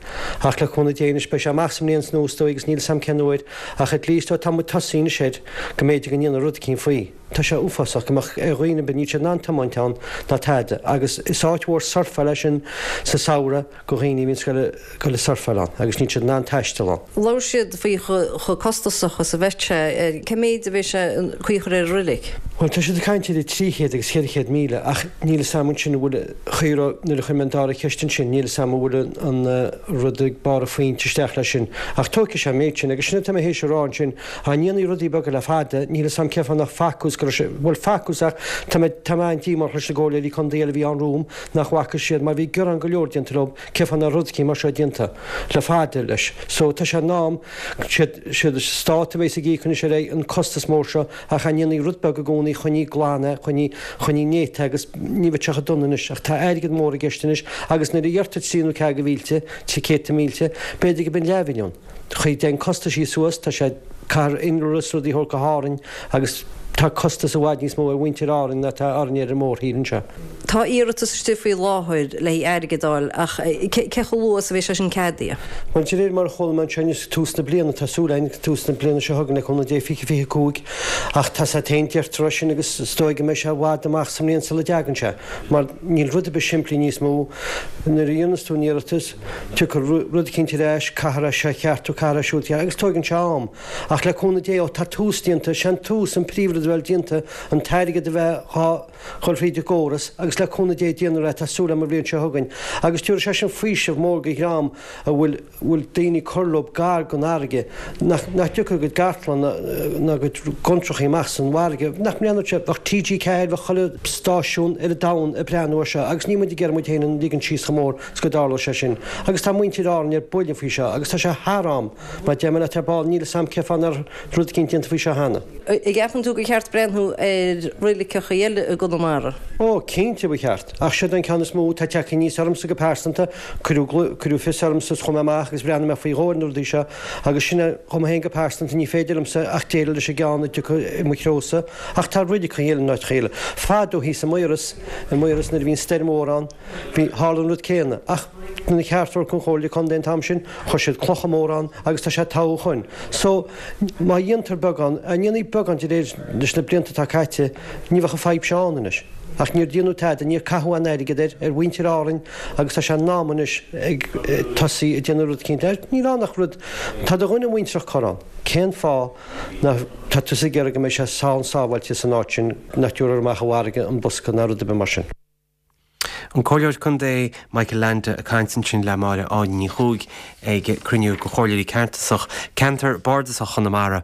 Ach le cúnamh Dé anois beidh sé amach sa mbliain nua is dóigh agus níl 'fhios a'm cén uair ach at least tá muid tosaithe anois air go mb'fhéidir go ndéanfar rud eicínt faoi. Tá sé uafásach go mbeadh ar dhaoine ar bith, níl siad in ann tiomáint ann ná tada agus is áit mhór surfáil é sin sa samhradh go dhaoine a bhíonns ag dul ag surfáil ann agus níl siad in ann taisteal ann. Labhair siad faoi chomh costasach is a bheadh sé. Cé méid a bheidh sé an chaoi a chur ar an roilig? Bhuel tá siad ag caint idir trí chéad agus ceithre chéad míle ach níl 'fhios a'm ansin an bhfuil chaoi raibh nuair a chuir mé an dara ceist ansin níl 'fhios a'm an bhfuil an rud ag barr an phointe isteach leis sin ach tógfaidh sé an méid sin agus sin atá mé théis a rá ansin Dá ndéanfaí rudaí beaga le fada, níl 'fhios a'm cén fáth nach facthas go raibh sé, bhuel facthas ach tá mé, tá mé an-díomách leis na gcomhairleoirí contae eile a bhí ann romham nach bhfaca siad mar bhí gearán go leor déanta leo cén fáth nach raibh rud eicínt mar seo déanta le fada leis. So tá sé in am, siad, siad an stát a bheas ag íoc anois ar aghaidh an costas mór seo ach dá ndéanfaí rud beag i gcónaí choinnigh glan é, choinnigh, choinnigh néata é agus ní bheadh sé chomh dona anois ach tá airgead mór i gceist anois agus nuair a dheirtear trí nó ceathair de mhílte, trí céadta mílte, b'fhéidir go b'in leathmhilliún. Chuaigh den costaisí suas, tá sé caithfear innealra is rudaí a thabhairt go hÁrainn agus tá costas i bhfad níos mó ar mhuintir Árainn ná atá orainne ar an mórthír anseo. Tá iarratas istigh faoi láthair le haghaidh airgead a fháil ach cé chomh luath is a bheidh sé sin ceadaithe? Bhuel, de réir mar a chuala mé anseo inniu, tús na bliana, tá súil againn, tús na bliana seo chugainn le cúnamh Dé, fiche fiche cúig, ach tá sé féin, deirtear é sin agus is dóigh go mbeidh sé i bhfad amach sa mbliain sula dtagann sé mar níl rud ar bith simplí níos mó nuair a dhéanas tú an iarratas, Tiocfaidh rud eicínt ar ais, caithfear é seo a cheartú, caithfear é siúd a cheartú, agus tóigeann sé am. Ach le cúnamh Dé, ó tá tús déanta, sé an tús an príomhrud a bheith déanta, an t-airgead a bheith dhá chur thríd an gcóras, agus le cúnamh Dé déanfar é, tá súil agam an bhliain seo chugainn. Agus tabharfaidh sé sin faoiseamh mór go dhream a bhfuil, bhfuil daoine ag cur leo gar don fharraige, nach, nach dtiocfadh a gcuid cartlann ná, ná a gcuid gcontrachaí amach san bhfarraige, nach mbreathnódh sé, bheadh TG Ceathair, bheadh chuile stáisiún ar an domhan ag breathnú air seo, agus níl muid ag iarraidh muid féin a ligean síos chomh mór 's go dtarlódh sé sin. Agus tá muintir Árann ar buile faoi seo agus tá sé thar am. Mar deir mé leat ar ball, níl 'fhios a'm cén fáth nach raibh rud eicínt déanta faoi seo cheana. An gceapann tú gur cheart ceart breathnú ar reiligeacha eile i gConamara? Ó, cinnte ba cheart. Ach siod an ceann is mó atá tagtha aníos ormsa go pearsanta, cuireadh cuireadh fios ormsa is chuaigh mé amach agus bhreathnaigh mé faoi dhó ar na rudaí seo agus sin é dhom féin go pearsanta ní féidir liomsa ach déileáil leis an gceann a dtiocfaidh i mo threosa ach tá reiligeacha eile in áiteacha eile. Fadó thíos i Maoras, i Maoras nuair a bhí an stoirm mhór ann, bhí, tharla an rud céanna ach na cheart an Chomhairle Contae an t-am sin, chuir siad clocha móra ann agus tá sé togha ó shoin. So, má dhéantar beagán, a ndéanfaí beagán de réir leis na blianta atá caite, ní bheadh an fadhb seo ann anois. Ach níor déanadh tada, níor caitheadh aon airgead air, ar mhuintir Árainn agus tá sé in am anois ag tosaí ag déanamh rud eicínt. Níl ann ach rud, tá do dhuine muintreach curtha ann. Cén fáth nach, tá tusa ag iarraidh go mbeidh sé sán sábháilte san áit sin, nach dtabharfar amach i bhfarraige an bosca ná rud ar bith mar sin. An Comhairleoir Contae Michael Leainde ag caint ansin le Máire Áine Ní Chuaig ag cruinniú de chomhairleoirí ceantasach ceantar bardasach Chonamara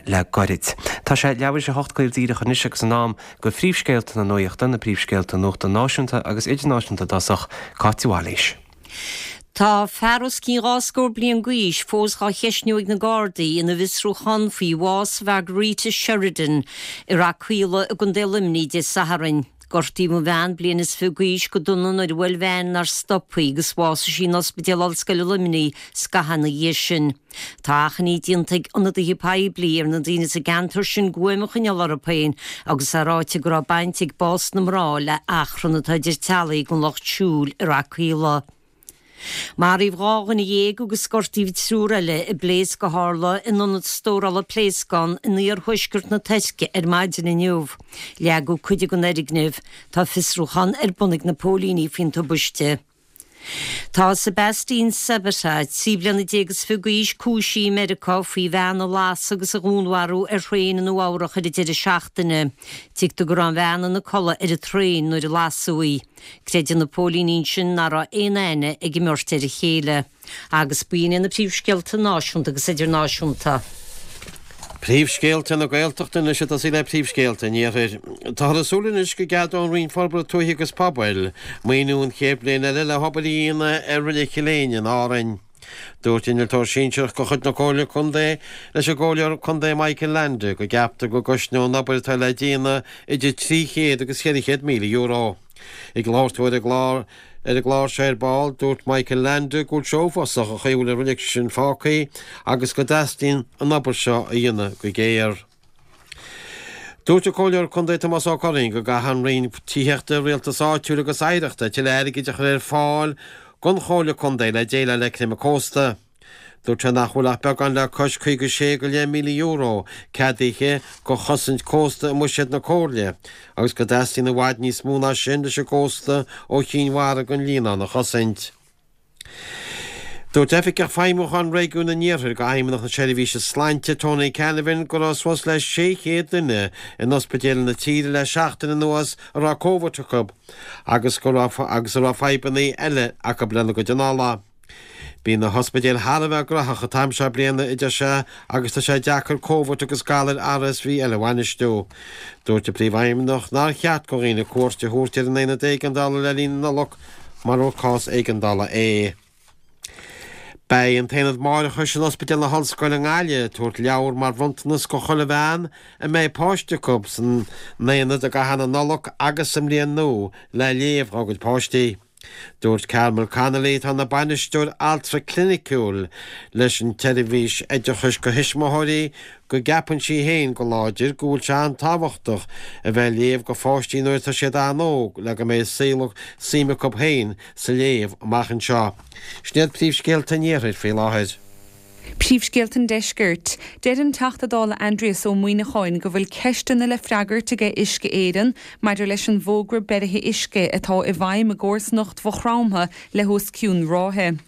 le gairid. Tá sé leathuair tar éis a hocht caol díreach anois agus in am do phríomhscéalta na nuachta, na príomhscéalta nuachta náisiúnta agus idirnáisiúnta i dtosach, Cáit Bhailís. Tá fear os cionn dhá scór bliain d'aois fós dhá cheistniú ag na Gardaí ina bhfiosrúchán faoi bhás Mhargarita Sheridan i Rath Caola i gContae Luimnigh Dé Sathairn. Gortaíodh an bhean bliain is fiche d'aois go dona nuair a bhuail veain nár stop í agus bhásaigh sí in Ospidéal Ollscoile Luimnigh scaitheamh ina dhiaidh sin. Tá achainí déanta ag ionadaithe poiblí ar na daoine sa gceantar sin guaim a choinneáil orthu féin agus é ráite go raibh baint ag bás na mná le achrann atá idir teaghlaigh den lucht siúil i Rath Caola. Maraíodh dhá dhuine dhéag agus gortaíodh triúr eile i bpléasc a tharla in ionad stórála pléascán in iarthuaisceart na Tuirce ar maidin inniu. Leagadh cuid den fhoirgneamh. Tá fiosrúchán ar bun ag na póilíní faoin tubaiste. Tá Sebastian Sabata, trí bliana déag is fiche d'aois, cúisithe i Meiriceá faoi bhean a lasadh agus a dhúnmharú ar thraein i Nua Eabhrac ar an deireadh seachtaine. Tuigtear go raibh an bhean ina codladh ar an traein nuair a lasadh í. Creideann na póilíní ansin nach raibh aon aithne ag an mbeirt ar a chéile. Agus b'in iad na príomhscéalta náisiúnta agus idirnáisiúnta. Príomhscéalta na Gaeltachta anois ag tosaí le príomhscéalta an Iarthair. Táthar ag súil anois go gceadóidh an Roinn Forbartha Tuaithe agus Pobail maoiniú an chéad bhliain eile le hobair a dhéanamh ar Reilig Chill Éinne in Árainn. Dúirt innealtóir sinsearach de chuid na Comhairle Contae leis an gComhairleoir Contae Michael Leainde go gceaptar go gcosnóidh an obair atá le déanamh idir trí chéad agus ceithre chéad míle euro. Ag labhairt dó ar an gclár ar an gclár seo ar ball, dúirt Michael Leainde go bhfuil sé uafásach an chaoi a bhfuil an reilig sin fágtha agus go dteastaíonn an obair seo a dhéanamh go géar. Dúirt an Comhairleoir Contae Tomás Ó Curraoin go gcaithfidh an Roinn Tithíochta, Rialtais Áitiúil agus Oidhreachta tuilleadh airgid a chur ar fáil don Chomhairle Contae le déileáil le creimeadh cósta. Dúirt sé nach bhfuil ach beagán le cois caoga sé go leith míle euro ceadaithe do chosaint cósta i mbuiséad na Comhairle agus go dteastaíonn i bhfad níos mó ná sin leis an gcósta ó Chinn Mhara go an Líonán a chosaint. Dúirt Oifigeach Feidhmiúcháin Réigiún an Iarthair d'Fheidhmeannacht na Seirbhíse Sláinte, Tony Canavan, go raibh suas le sé chéad duine in ospidéil na tíre le seachtain anuas a raibh Covid acu agus go raibh agus a raibh fadhbanna eile acu lena gcuid anála. Bíonn na hospidéil thar a bheith graitheach an t-am seo bliana, a deir sé, agus tá sé deacair Covid agus galair R S V eile a bhainistiú. Dúirt an Príomhfheidhmeannach nár cheart do dhaoine cuairt a thabhairt ar an aonad éigeandála le linn na Nollag mura cás éigeandála é. Beidh an tAonad Máithreachais in Ospidéal na hOllscoile i nGaillimh ag tabhairt leabhar mar bhronntanas do chuile bhean a mbeidh páiste acu san aonad i gcaitheamh na Nollag agus sa mbliain nua le léamh dá gcuid páistí. Dúirt Carmel Connolly atá ina bainisteoir altra cliniciúil leis an tseirbhís oideachais do thuismitheoirí go gceapann sí féin go láidir go bhfuil sé an-tábhachtach a bheith ag léamh do pháistí nuair atá siad an-óg le go mbeidh saol suim acu féin sa léamh amach anseo. Sin iad príomhscéalta an Iarthair faoi láthair. Príomhscéalta an Deiscirt. Deir an Teachta Dála Aindrias Ó Muimhneacháin go bhfuil ceisteanna le freagairt aige Uisce Éireann maidir leis an bhfógra beirithe uisce atá i bhfeidhm i gcomharsanacht Mhaigh Chromtha le hos cionn ráithe.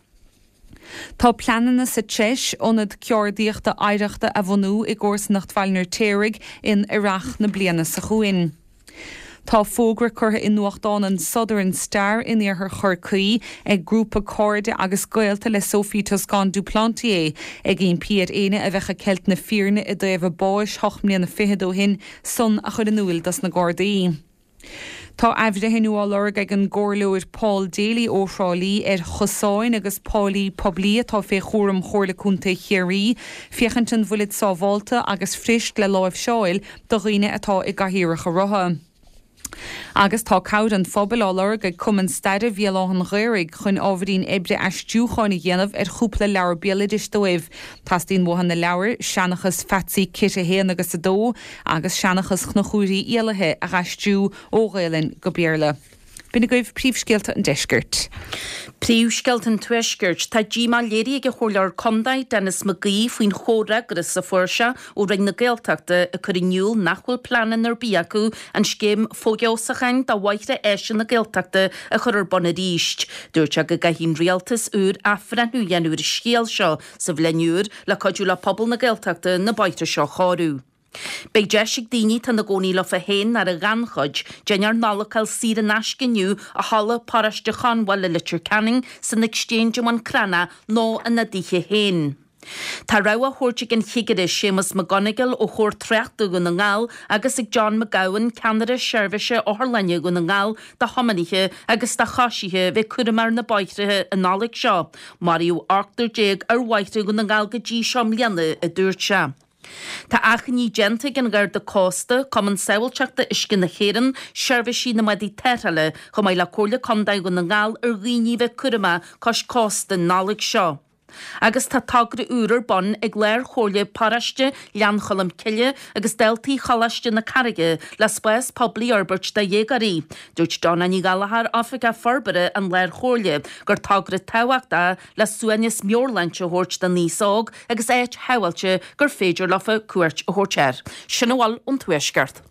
Tá pleananna sa treis ionad ceardaíochta oidhreachta a bhunú i gcomharsanacht Bhaile an Fheirtéaraigh in earrach na bliana seo chugainn. Tá fógra curtha i nuachtán an Southern Star in iarthar Chorcaí ag grúpa cairde agus gaolta le Sophie Toscan du Plantier ag impí ar éinne a bheith ag ceilt na fírinne i dtaobh a báis ocht mbliana fichead ó shin san a chur in iúl dos na Gardaí. Tá athbhreithniú á lorg ag an gComhairleoir Paul Daly ó Thrá Lí ar chosáin agus pálaí poiblí atá fé chúram Chomhairle Contae Chiarraí, féachaint an bhfuilid sábháilte agus fuirist le láimhseáil do dhaoine atá i gcathaoireacha rotha. Agus tá cabhair an phobail á lorg ag Cumann Staire Bhéal Átha an Ghaorthaidh chun ábhairín oibre aistriúcháin a dhéanamh ar chúpla leabhar béaloidis dóibh. Teastaíonn uathu na leabhair, Seanchas Phatsy Kit a haon agus a dó agus Seanchas Chonchúir Uí Éalaithe a dh'aistriú ó Ghaelainn go Béarla. B'in agaibh príomhscéalta an deiscirt. Príomhscéalta an Tuaiscirt. Tá díomá léirithe ag an Chomhairleoir Contae, Denis McGee, faoin chomhfhreagras a fuair sé ó Roinn na Gaeltachta ag cur in iúl nach bhfuil pleananna ar bith acu an scéim fofheabhsúcháin do bhóithre áise na Gaeltachta a chur ar bun arís. Dúirt sé go gcaithfidh an rialtas úr athbhreithniú a dhéanamh ar an scéal seo sa bhliain úr le cuidiú le pobal na Gaeltachta na bóithre seo a chóiriú. Beidh deis ag daoine atá ina gcónaí leofa féin nó ar an ghannchuid, dinnéar Nollag a fháil saor in aisce inniu i Halla Paróiste Chonbhail i Leitir Ceanainn, san Exchange i mBun Cranncha nó ina dtithe féin. Tá rabhadh á thabhairt ag an Chigire Séamus McGonigle ó Chór Tráchta Dhún na nGall agus ag John McGowan, Ceannaire Seirbhíse Otharlainne Dhún na nGall do thiománaithe agus do choisithe bheith cúramach ar na bóithre an Nollaig seo. Maraíodh ochtar déag ar bhóithre Dhún na nGall go dtí seo i mbliana, a dúirt sé. Tá achainí déanta ag an Gharda Cósta, Cumann Sábháilteachta Uisce na hÉireann, Seirbhísí na mBádaí Tarrthála, chomh maith le Comhairle Contae Dhún na nGall ar dhaoine a bheith cúramach cois cósta an Nollaig seo. Agus tá togra úr ar bun ag Lár-Chomhairle Paróiste Ghleann Cholm Cille agus daltaí Choláiste na Carraige le spás poiblí a fhorbairt do dhéagóirí. Dúirt Donna Ní Ghallchóir, Oifigeach Forbartha an Lár-Chomhairle, gur togra tábhachtach le suaimhneas meabhairshláinte a thabhairt don aos óg agus áit shábháilte gur féidir leofa cuairt a thabhairt air. Sin a bhfuil ón Tuaisceart.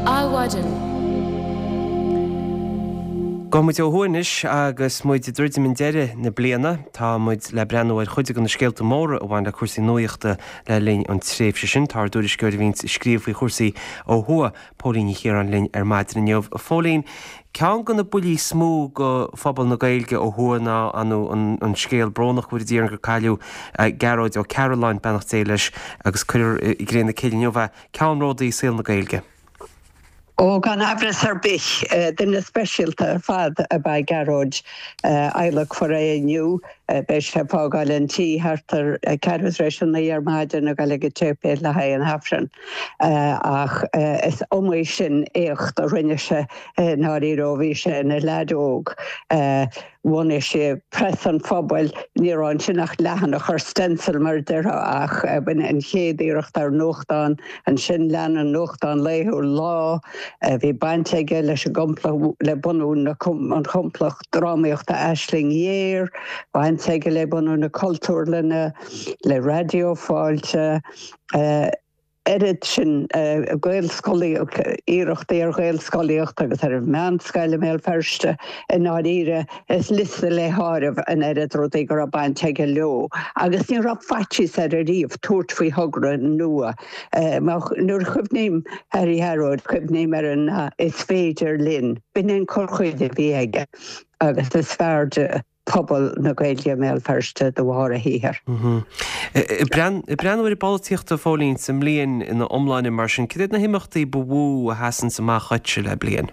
Adhmhaidin. Gabhfaidh muid ó thuaidh anois agus muid ag druidim i ndeireadh na bliana. Tá muid le breathnú ar chuid de na scéalta móra a bhain le cúrsaí nuaíochta le linn an tréimhse sin. Tá ár dtuairisceoir a bhíonns ag scríobh faoi chúrsaí ó thuaidh, Póilín Ní Chiaráin linn ar maidin inniu. A Phóilín, ceann de na buillí is mó go phobal na Gaeilge ó thuaidh ná an scéal brónach go bhfóire Dia orainn gur cailleadh Gearóid Ó Cearúlláin, beannacht Dé leis, agus cuirfear i gcré na cille inniu é, ceannródaí i saol na Gaeilge. Ó, gan amhras ar bith, duine speisialta ar fad ab ea Gearóid. Adhlacfar é inniu. Beidh sé ag fágáil an tí thart ar ceathrú tar éis a naoi ar maidin ag dul ag an tséipéal le haghaidh an Aifrinn. Ach is iomaí sin éacht a rinne sé i ndáiríre ó bhí sé ina leaid óg. Bhunaigh sé Preas an Phobail, ní raibh ansin ach leathanach ar stencil mar a déarfá ach b'in an chéad iarracht ar nuachtán. Ansin lean an nuachtán laethúil Lá. Bhí baint aige leis an gcomplacht, le bunú an chomplacht drámaíochta Aisling Ghéar, baint aige le bunú na Cultúrlainne, le Raidió Fáilte. Oiread sin Gaelscolaíocht, iarrachtaí ar Ghaelscolaíocht agus ar an mheánscoil i mBéal Feirste, i ndáiríre, is liosta le háireamh an oiread rudaí go raibh baint aige leo. Agus ní raibh faitíos air ariamh tabhairt faoi thogra nua. Nuair a chuimhním ar Ghearóid, cuimhním ar an 'is féidir linn'. B'in an cur chuige a bhí aige agus is fearr de pobal na Gaeilge i mBéal Feirste de bharr a shaothair. Ag breathnú ar an bpolaitíocht a Phóilín sa mbliain ina iomláine mar sin, cad iad na himeachtaí ba mhó a sheasanns amach dhuitse le bliain?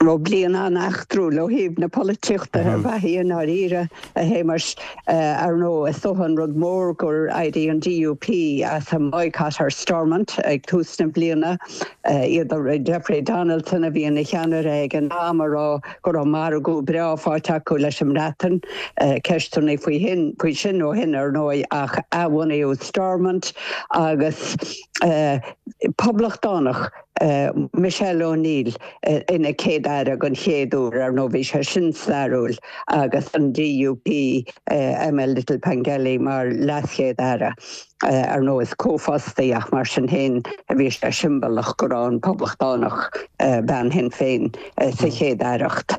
Ó, bliain an-eachtrúil ó thaobh na polaitíochta ab ea í i ndáiríre, a Shéamais. Ar ndóigh, is dócha an rud mór gur éirigh an DUP as a mboycott ar Stormont ag tús na bliana. Iad, Jeffrey Donaldson a bhí ina cheannaire ag an am, a rá go raibh margadh breá faighte acu leis an mBreatain. Ceisteanna faoi shin, faoi sin ó shin ar ndóigh ach athbhunaíodh Stormont agus poblachtánach Michelle O'Neill ina Céad-Aire den chéad uair, ar ndóigh bhí sé sin stairiúil, agus an DUP Emma Little-Pengelly mar LeasChéad-Aire. Ar ndóigh is comhphost í ach mar sin féin bhí sé siombalach go raibh an poblachtánach, bean Shinn Féin, sa Chéad-Aireacht.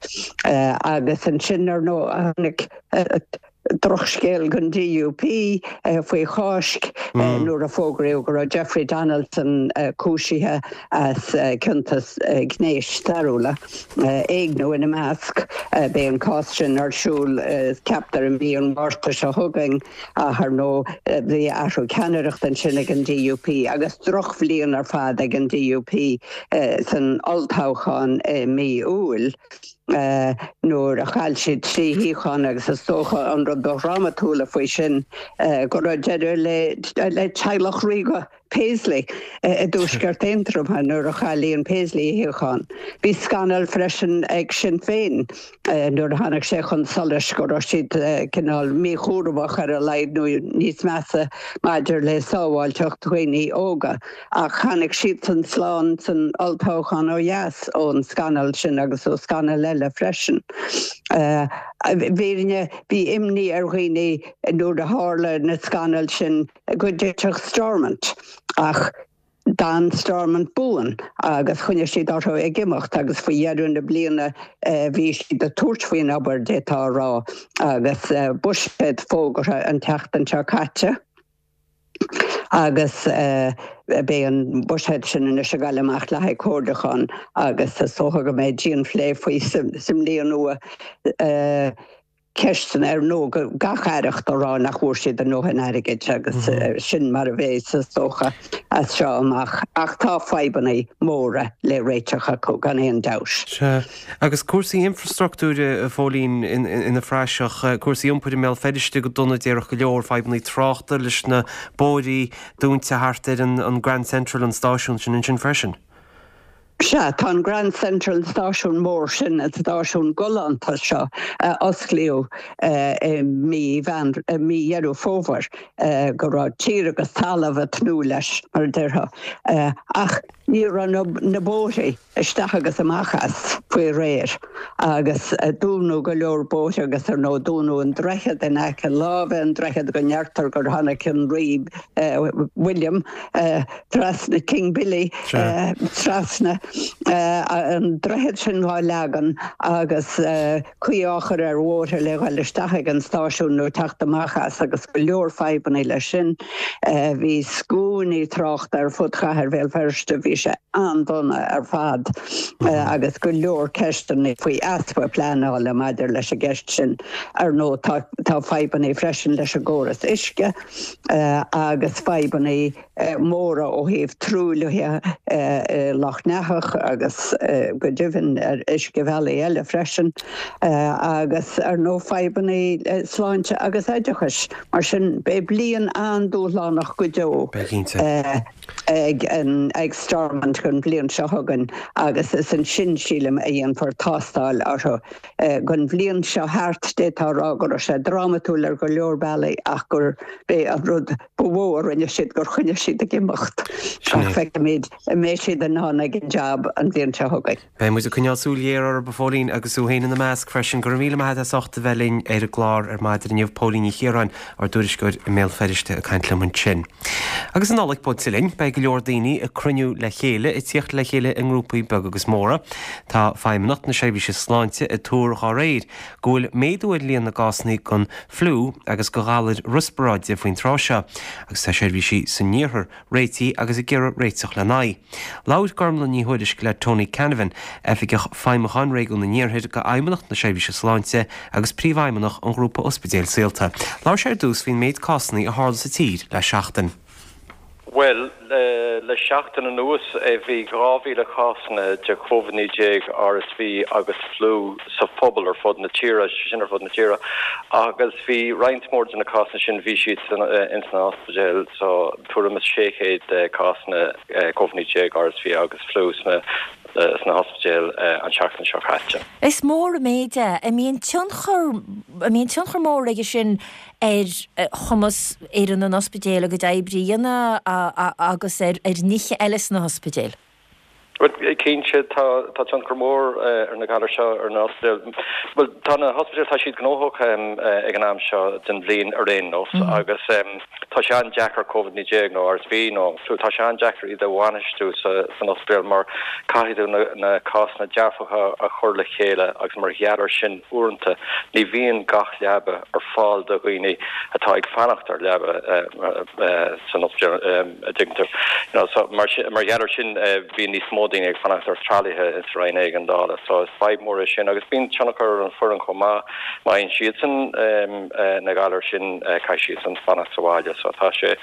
Agus ansin ar ndóigh tháinig Drochscéal don D U P faoi Cháisc nuair a fógraíodh go raibh Jeffrey Donaldson cúisithe as cionta gnéis stairiúla, éigniú ina measc. Beidh an cás sin ar siúl, ceaptar, i mí an Mhárta seo chugainn, ach ar ndóigh bhí athrú ceannaireachta ansin ag an D U P agus drochbhliain ar fad ag an D U P san olltoghchán i mí Iúil, nuair a chaill siad trí shuíochán, agus is dócha an rud ba dhrámatúla faoi sin go raibh deireadh le le teaghlach ríoga Paisley i dTuaisceart Aontroma nuair a chaill Ian Paisley a shuíochán. Bhí scannal freisin ag Sinn Féin nuair a tháinig sé chun solais go raibh siad cineál míchúramach ar a laghad nó níos measa maidir le sábháilteacht dhaoine óga, ach tháinig siadsan slán san olltoghchán ó dheas ón scannal sin agus ó scannal eile freisin. Bhí bhí imní ar dhaoine nuair a tharla na scannail sin go dtitfeadh Stormont, ach d'fhan Stormont buan agus choinnigh siad orthu ag imeacht, agus faoi dheireadh na bliana bhí siad ag tabhairt faoin obair, d'fhéadfá a rá, agus buiséad fógartha an tseachtain seo caite. Agus beidh an buiséad sin anois ag dul amach le haghaidh comhairliúchán agus is dócha go mbeidh dianphlé faoi sa mbliain nua. Ceisteanna ar ndóigh, gach aireacht á rá nach bhfuair siad a ndóthain airgid, agus sin mar a bheidh is dócha as seo amach, ach tá fadhbanna móra le réiteach acu gan aon dabht. Sea. Agus cúrsaí infrastruchtúir, a Phóilín, ina phraiseach, cúrsaí iompair i mBéal Feirste go dona, déarfadh go leor, fadhbanna tráchta leis na bóithrí dúnta thart ar an Grand Central, an stáisiún sin ansin freisin. Sea, tá an Grand Central stáisiún mór sin, an stáisiún galánta seo a osclaíodh i mí mí Dheireadh Fómhair, go raibh tír agus talamh ag tnúth leis, mar a déarfá. Ach ní raibh na bóithrí isteach agus amach as faoi réir, agus dúnadh go leor bóithre, agus ar ndóigh dúnadh an droichead in aice láimhe, an droichead go ndeirtear gur tháinig an rí William trasna, King Billy trasna, an droichead sin á leagan agus caoi á chur ar bhóithre le dhul isteach ag an stáisiún nó teacht amach as, agus go leor fadhbanna leis sin. Bhí scuainí tráchta ar fud chathair Bhéal Feirste, bhí sé an-dona ar fad, agus go leor ceisteanna faoi easpa pleanála maidir leis an gceist sin. Ar ndóigh tá tá fadhbanna freisin leis an gcóras uisce agus fadhbanna móra ó thaobh truaillithe Loch Neathach agus go deimhin ar uiscebhealaí eile freisin, agus ar ndóigh fadhbanna sláinte agus oideachais. Mar sin beidh bliain an-dúshlánach go deo ag an ag Stormont an bhliain seo chugainn, agus is ansin, sílim, a dhéanfar tástáil orthu. Don bhliain seo thart, d'fhéadfá a rá go raibh sé drámatúil ar go leor bealaí, ach gur b'é an rud ba mhó a rinne siad gur choinnigh siad ag imeacht. Ach feicfimid an mbeidh siad in ann ag an jab an bhliain seo chugainn. Beidh muid ag coinneáil súil ghéar orthu, a Phóilín, agus tú féin ina measc freisin. Go raibh míle maith agat as ucht a bheith linn ar an gclár ar maidin inniu. Póilín Ní Chiaráin, ár dtuairisceoir i mBéal Feirste, ag caint liom ansin. Agus an Nollaig buailte linn, beidh go leor daoine ag cruinniú le chéile, ag tíocht le chéile i ngrúpaí beaga agus móra. Tá Feidhmeannacht na Seirbhíse Sláinte ag tuar dá réir go bhfuil méadú ar líon na gcásanna den fliú agus de ghalair riospráide faoin tráth seo, agus tá seirbhísí san iarthar réitithe agus ag iarraidh réiteach lena aghaidh. Labhair Gormlaith Ní Thuairisg le Tony Canavan, Oifigeach Feidhmiúcháin Réigiún an Iarthair d'Fheidhmeannacht na Seirbhíse Sláinte agus Príomhfheidhmeannach an Ghrúpa Ospidéal Saolta. Labhair sé ar dtús faoin méid cásanna a tharla sa tír le seachtain. Well, le, le seachtain anuas bhí dhá mhíle cásanna de Covid naoi déag, R S V agus fliú sa phobal ar fud na tíre, sin ar fud na tíre, agus bhí roinnt mór de na cásanna sin, bhí siad in san ospidéal, so tuairim is sé chéad cásanna Covid naoi déag, R S V agus fliú sna sna hospidéil an seachtain seo caite. Is mór an méid é. An mbíonn tionchar an mbíonn tionchar mór aige sin ar chumas fhoireann an ospidéil a gcuid oibre a dhéanamh agus ar ar nithe eile sna hospidéil. Well, cinnte tá tá tionchar mór ar na galair seo ar na hospidéil. Well, tá na hospidéil tá siad gnóthach ag an am seo den bhliain ar aon nós agus tá sé an-deacair Covid naoi déag nó R S V nó fliú, tá sé an-deacair iad a bhainistiú san ospidéal mar caithfidh tú na na cásanna dearfacha a chur le chéile agus mar gheall air sin uaireanta ní bhíonn gach leaba ar fáil do dhaoine atá ag fanacht ar leaba san ospidéal a dtuigeann tú. You know, so mar mar gheall air sin bíonn níos mó daoine ag fanacht ar tralaithe sa roinn éigeandála, so is fadhb mór é sin agus bíonn tionchar ar an foireann chomh maith má fhaigheann siadsan na galair sin caithfidh siadsan fanacht sa bhaile, so tá sé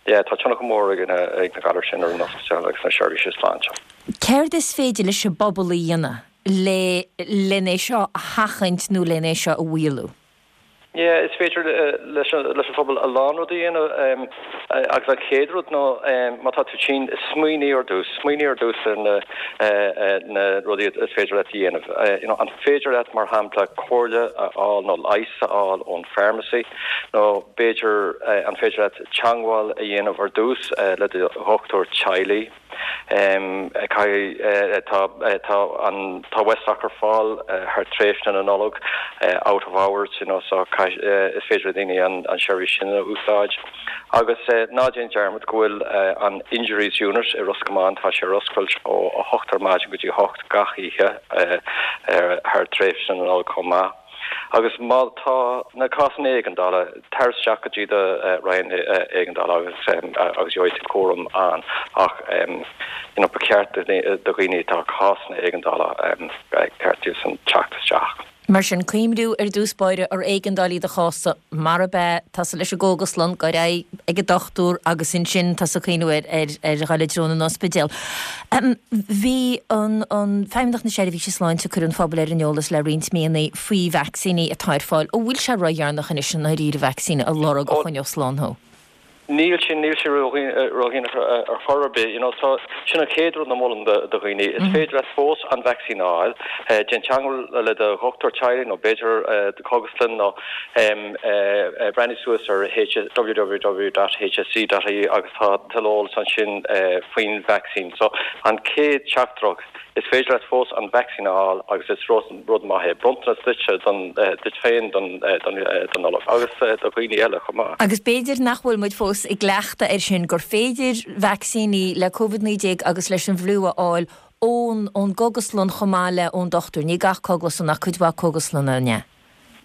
yeah, tá tionchar mór ag na ag na galair sin ar an ospidéal agus na seirbhísí sláinte. Céard is féidir leis an bpobal a dhéanamh le len é seo a sheachaint nó len é seo a mhaolú? Yeah, is féidir leis leis an phobal a lán rudaí a dhéanamh agus an chéad rud ná má tá tú tinn smaoinigh ar dtús, smaoinigh ar dtús ar na na rudaí is féidir leat a dhéanamh. You know, an féidir leat mar shampla comhairle a fháil nó leigheas a fháil ón pharmacy nó b'fhéidir an féidir leat teagmháil a dhéanamh ar dtús le do dhochtúir teaghlaigh. Um, tá tá an tá Westdoc ar fáil thar tréimhse na Nollag out of hours you know, so is féidir le daoine an an seirbhís sin a úsáid. Agus ná déan dearmad go bhfuil an Injuries Unit i Ros Comáin tá sé ar oscailt ó a hocht ar maidin go dtí hocht gach oíche thar tréimhse na Nollag chomh maith. Agus má tá na cásanna éigeandála tar isteach go dtí do roinn éigeandála agus agus gheobhaidh tú cúram ann ach you know, ba cheart do dhaoine atá cásanna éigeandála ceart dóibhsan teacht isteach. Mar sin cuimhniú ar dtús báire ar éigeandálaí do chás mar be tá leis an gcógaslann go ag an dochtúir agus ansin tá sa cuimhniú ar ar ar dhul i dtreo an ospidéil. Um, bhí an an Feidhmeannacht na Seirbhíse Sláinte chur an phobal ar an eolas le roinnt míonna faoi vacsaíní atá ar fáil ó bhfuil sé ródheireanach anois an ríir vacsaín a lorg a choinneodh slán thú. Níl sin níl sé ródheireanach ar chor ar bith, you know, so sin an chéad rud a mholaim do dhaoine. Is féidir leat fós an vacsaín a fháil, déan teagmháil le do dhochtúir teaghlaigh nó b'fhéidir do chógaslann nó breathnaigh suas ar w w w dot h s e dot i e agus tá tuilleadh eolas ansin faoin vacsaín. So an chéad teachtaireacht is féidir leat fós an vacsaín a fháil agus is rud maith é. Bronntanas duit don duit féin don don don Nollaig agus do dhaoine eile chomh maith. Agus b'fhéidir nach bhfuil muid fós i gcleachtadh ar sin gur féidir vacsaíní le Covid naoi déag agus leis an bhfliú a fháil ón ón gcógaslann chomh maith le ón dochtúir, ní gach cógaslann ach cuid mhaith cógaslanna ne.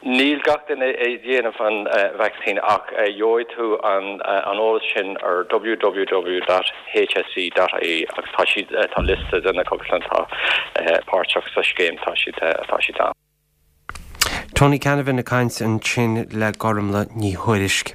Níl gach duine ag déanamh an vacsaín ach gheobhaidh tú an an eolas sin ar w w w dot h s e dot i e agus tá siad tá liosta de na cógaslanna atá páirteach sa scéim tá siad tá siad ann. Tony Canavan ag caint ansin le Gormlaith Ní Thuairisg.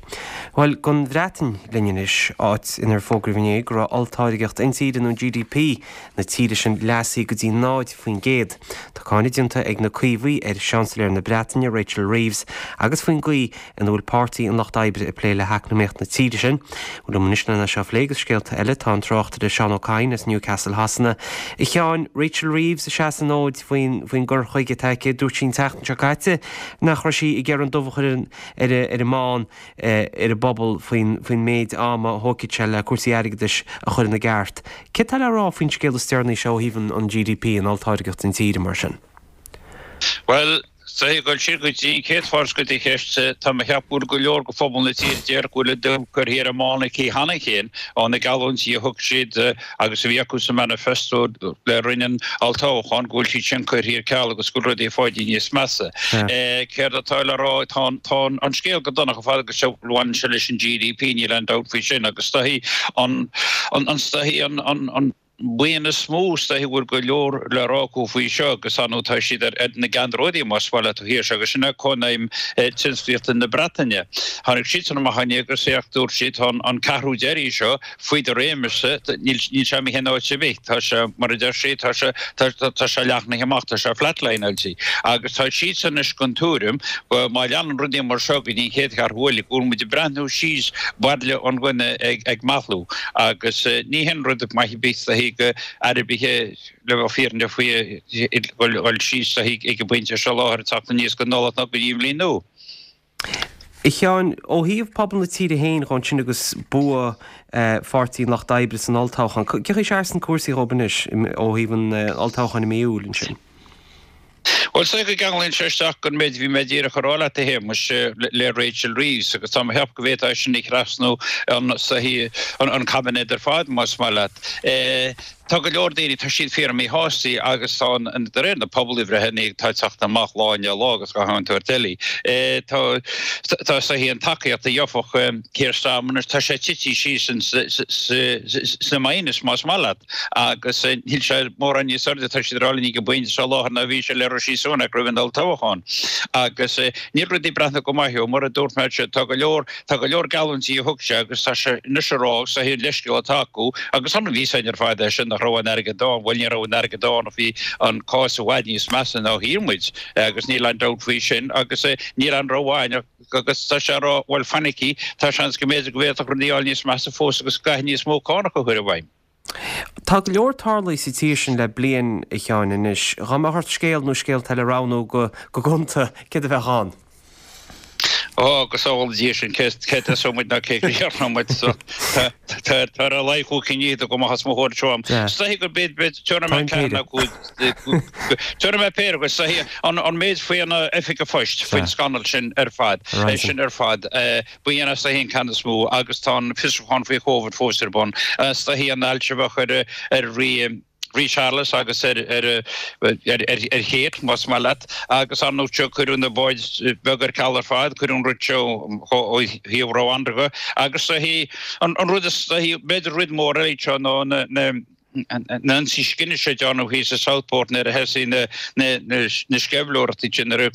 Bhuel don Bhreatain linn anois áit inar fógraíodh inné go raibh olltáirgeacht intíre nó G D P na tíre sin leasaithe go dtí náid faoin gcéad. Tá cáineadh déanta ag na Caomhaigh ar Seansailéir na Breataine Rachel Reeves agus faoin gcaoi ina bhfuil páirtí an Lucht Oibre ag plé le heacnamaíocht na tíre sin. Bhuel anois lena seo phlé agus scéalta eile tá an tráchtaire Seán Ó Cadhain as Newcastle Shasana. A Sheáin Rachel Reeves a seasann an fhóid faoin faoin gcur chuige atá aici dúirt sí an tseachtain seo caite nach raibh sí ag iarraidh an dubh a chur ar ar an mbán ar an bpobal faoin faoin méid ama a thógfaidh sé le cúrsaí airgeadais a chur ina gceart. Cé tá le rá faoin scéal is deireanaí seo ó thaobh an G D P an olltáirgeacht intíre mar sin? Well, sé go si go dtí céad fárs go dtí cheist tá mé ag ceapadh go leor go phobal na tíre deir go bhfuil an dubh curtha ar an mbán aici cheana féin ó na geallúintí a thug siad agus a bhí acu sa manifesto le roinn an olltoghcháin go bhfuil siad sin curtha ar ceal agus go rudaí fáidí níos measa. Céard atá le rá tá tá an scéal go dona fad agus a bhaineann sé leis an G D P níl aon dabht faoi sin agus staí an an staí an an buíon is mó is bhfuil go leor le rá acu faoi seo agus anú tá siad ar na ceannródaí más bhile tú hir agus sinna Cónaidhm Tionsclaíochta na Breataine. Tháinig siad san amach agus é dúirt siad an an ceathrú deiridh seo faoi do réimeas níl sé imithe in áit ar bith tá sé mar a deir sé tá sé tá sé leathnaithe amach tá sé flatline-áilte agus tá siad san is den tuairim go má leanann rudaí mar seo go dtí chéad cheathrú eile go bhfuil muid ag breathnú síos bairille an ghunna ag ag meathlú agus ní hin rud maith bith go arbithe le bheith fírinne faoi dul síos ag an bpointe seo láthair teacht aníos go Nollaig nó go dtí an bhliain nua. A Sheáin, ó thaobh pobal na tíre féin dhó ansin agus bua Pháirtí an Lucht Oibre san olltoghchán, cén chaoi a seasann cúrsaí dhóibh anois ó thaobh an olltoghcháin i mí Iúil ansin? Bhuel, is dóigh go gceanglaíonn sé isteach don méid a bhí mé díreach a rá leat, a Shéamais, le Rachel Reeves, agus tá mé ag ceapadh go bhféadfá é sin a thrasnú an caibinéad ar fad, más maith leat. Tá go leor daoine, tá siad fíor-mhíshásta agus tá an, de réir na pobalbhreitheanna atá ag teacht amach lá i ndiaidh lá agus gach aon tsórt eile, tá, tá is dóichí an tacaíocht a gheofadh Keir Starmer anois, tá sé tite síos sna minus, más maith leat, agus níl sé mórán níos airde, tá siad ag rá linn ag an bpointe seo i láthair ná bhí sé le Rishi Sunak roimh an olltoghchán. Agus níl rudaí ag breathnú go maith dhó, mar a dúirt mé, tá go leor, Tá go leor geallúintí a thug sé agus tá sé anois ag rá agus is é an leithscéal atá acu agus an bhí san ar fad é sin nach raibh an airgead ann, bhuel ní raibh an airgead ann ach bhí an cás i bhfad níos measa ná a shíl muid agus níl aon dabht faoi sin agus níl aon rogha againn agus tá sé ag rá bhuel fanaigí tá seans go mb'fhéidir go bhféadfadh rudaí a fháil níos measa fós agus go gcaithfidh níos mó cánach a chur i bhfeidhm. Tá go leor tarlaithe sa tír sin le bliain, a Sheáin, anois. Dhá mbeadh ort scéal nó scéalta eile a roghnú go gonta, céard a bheadh ann? Ó, go sábhála Dia sinn, cé tosóidh muid ná cé críochnóidh muid. Tá ar a laghad cúig cinn fhichead agam amach os mo chomhair anseo. Is dóichí gur b'iad, b'iad, tabharfaidh mé ceathair nó cúig, tabharfaidh mé péire acu. Is dóichí an méid faoi na Oifig an Phoist, faoin scannal sin ar fad, é sin ar fad, b'in is dóichí an ceann is mó agus tá an fiosrúchán faoi Covid fós ar bun. Is dóichí an ailt a bheadh ar, ar Rí, Rí Charles agus ar ar Kate, más maith leat, agus ar ndóigh seo cuireadh na báid bheaga ar ceal ar fad, cuireadh an rud seo ó thaobh Rwanda de agus an rud is b'fhéidir rud mór eile seo ná na na na hionsaithe scine seo a déanadh thíos i Southport nuair a thosaigh na na sceimhlitheoireachtaí sin nuair a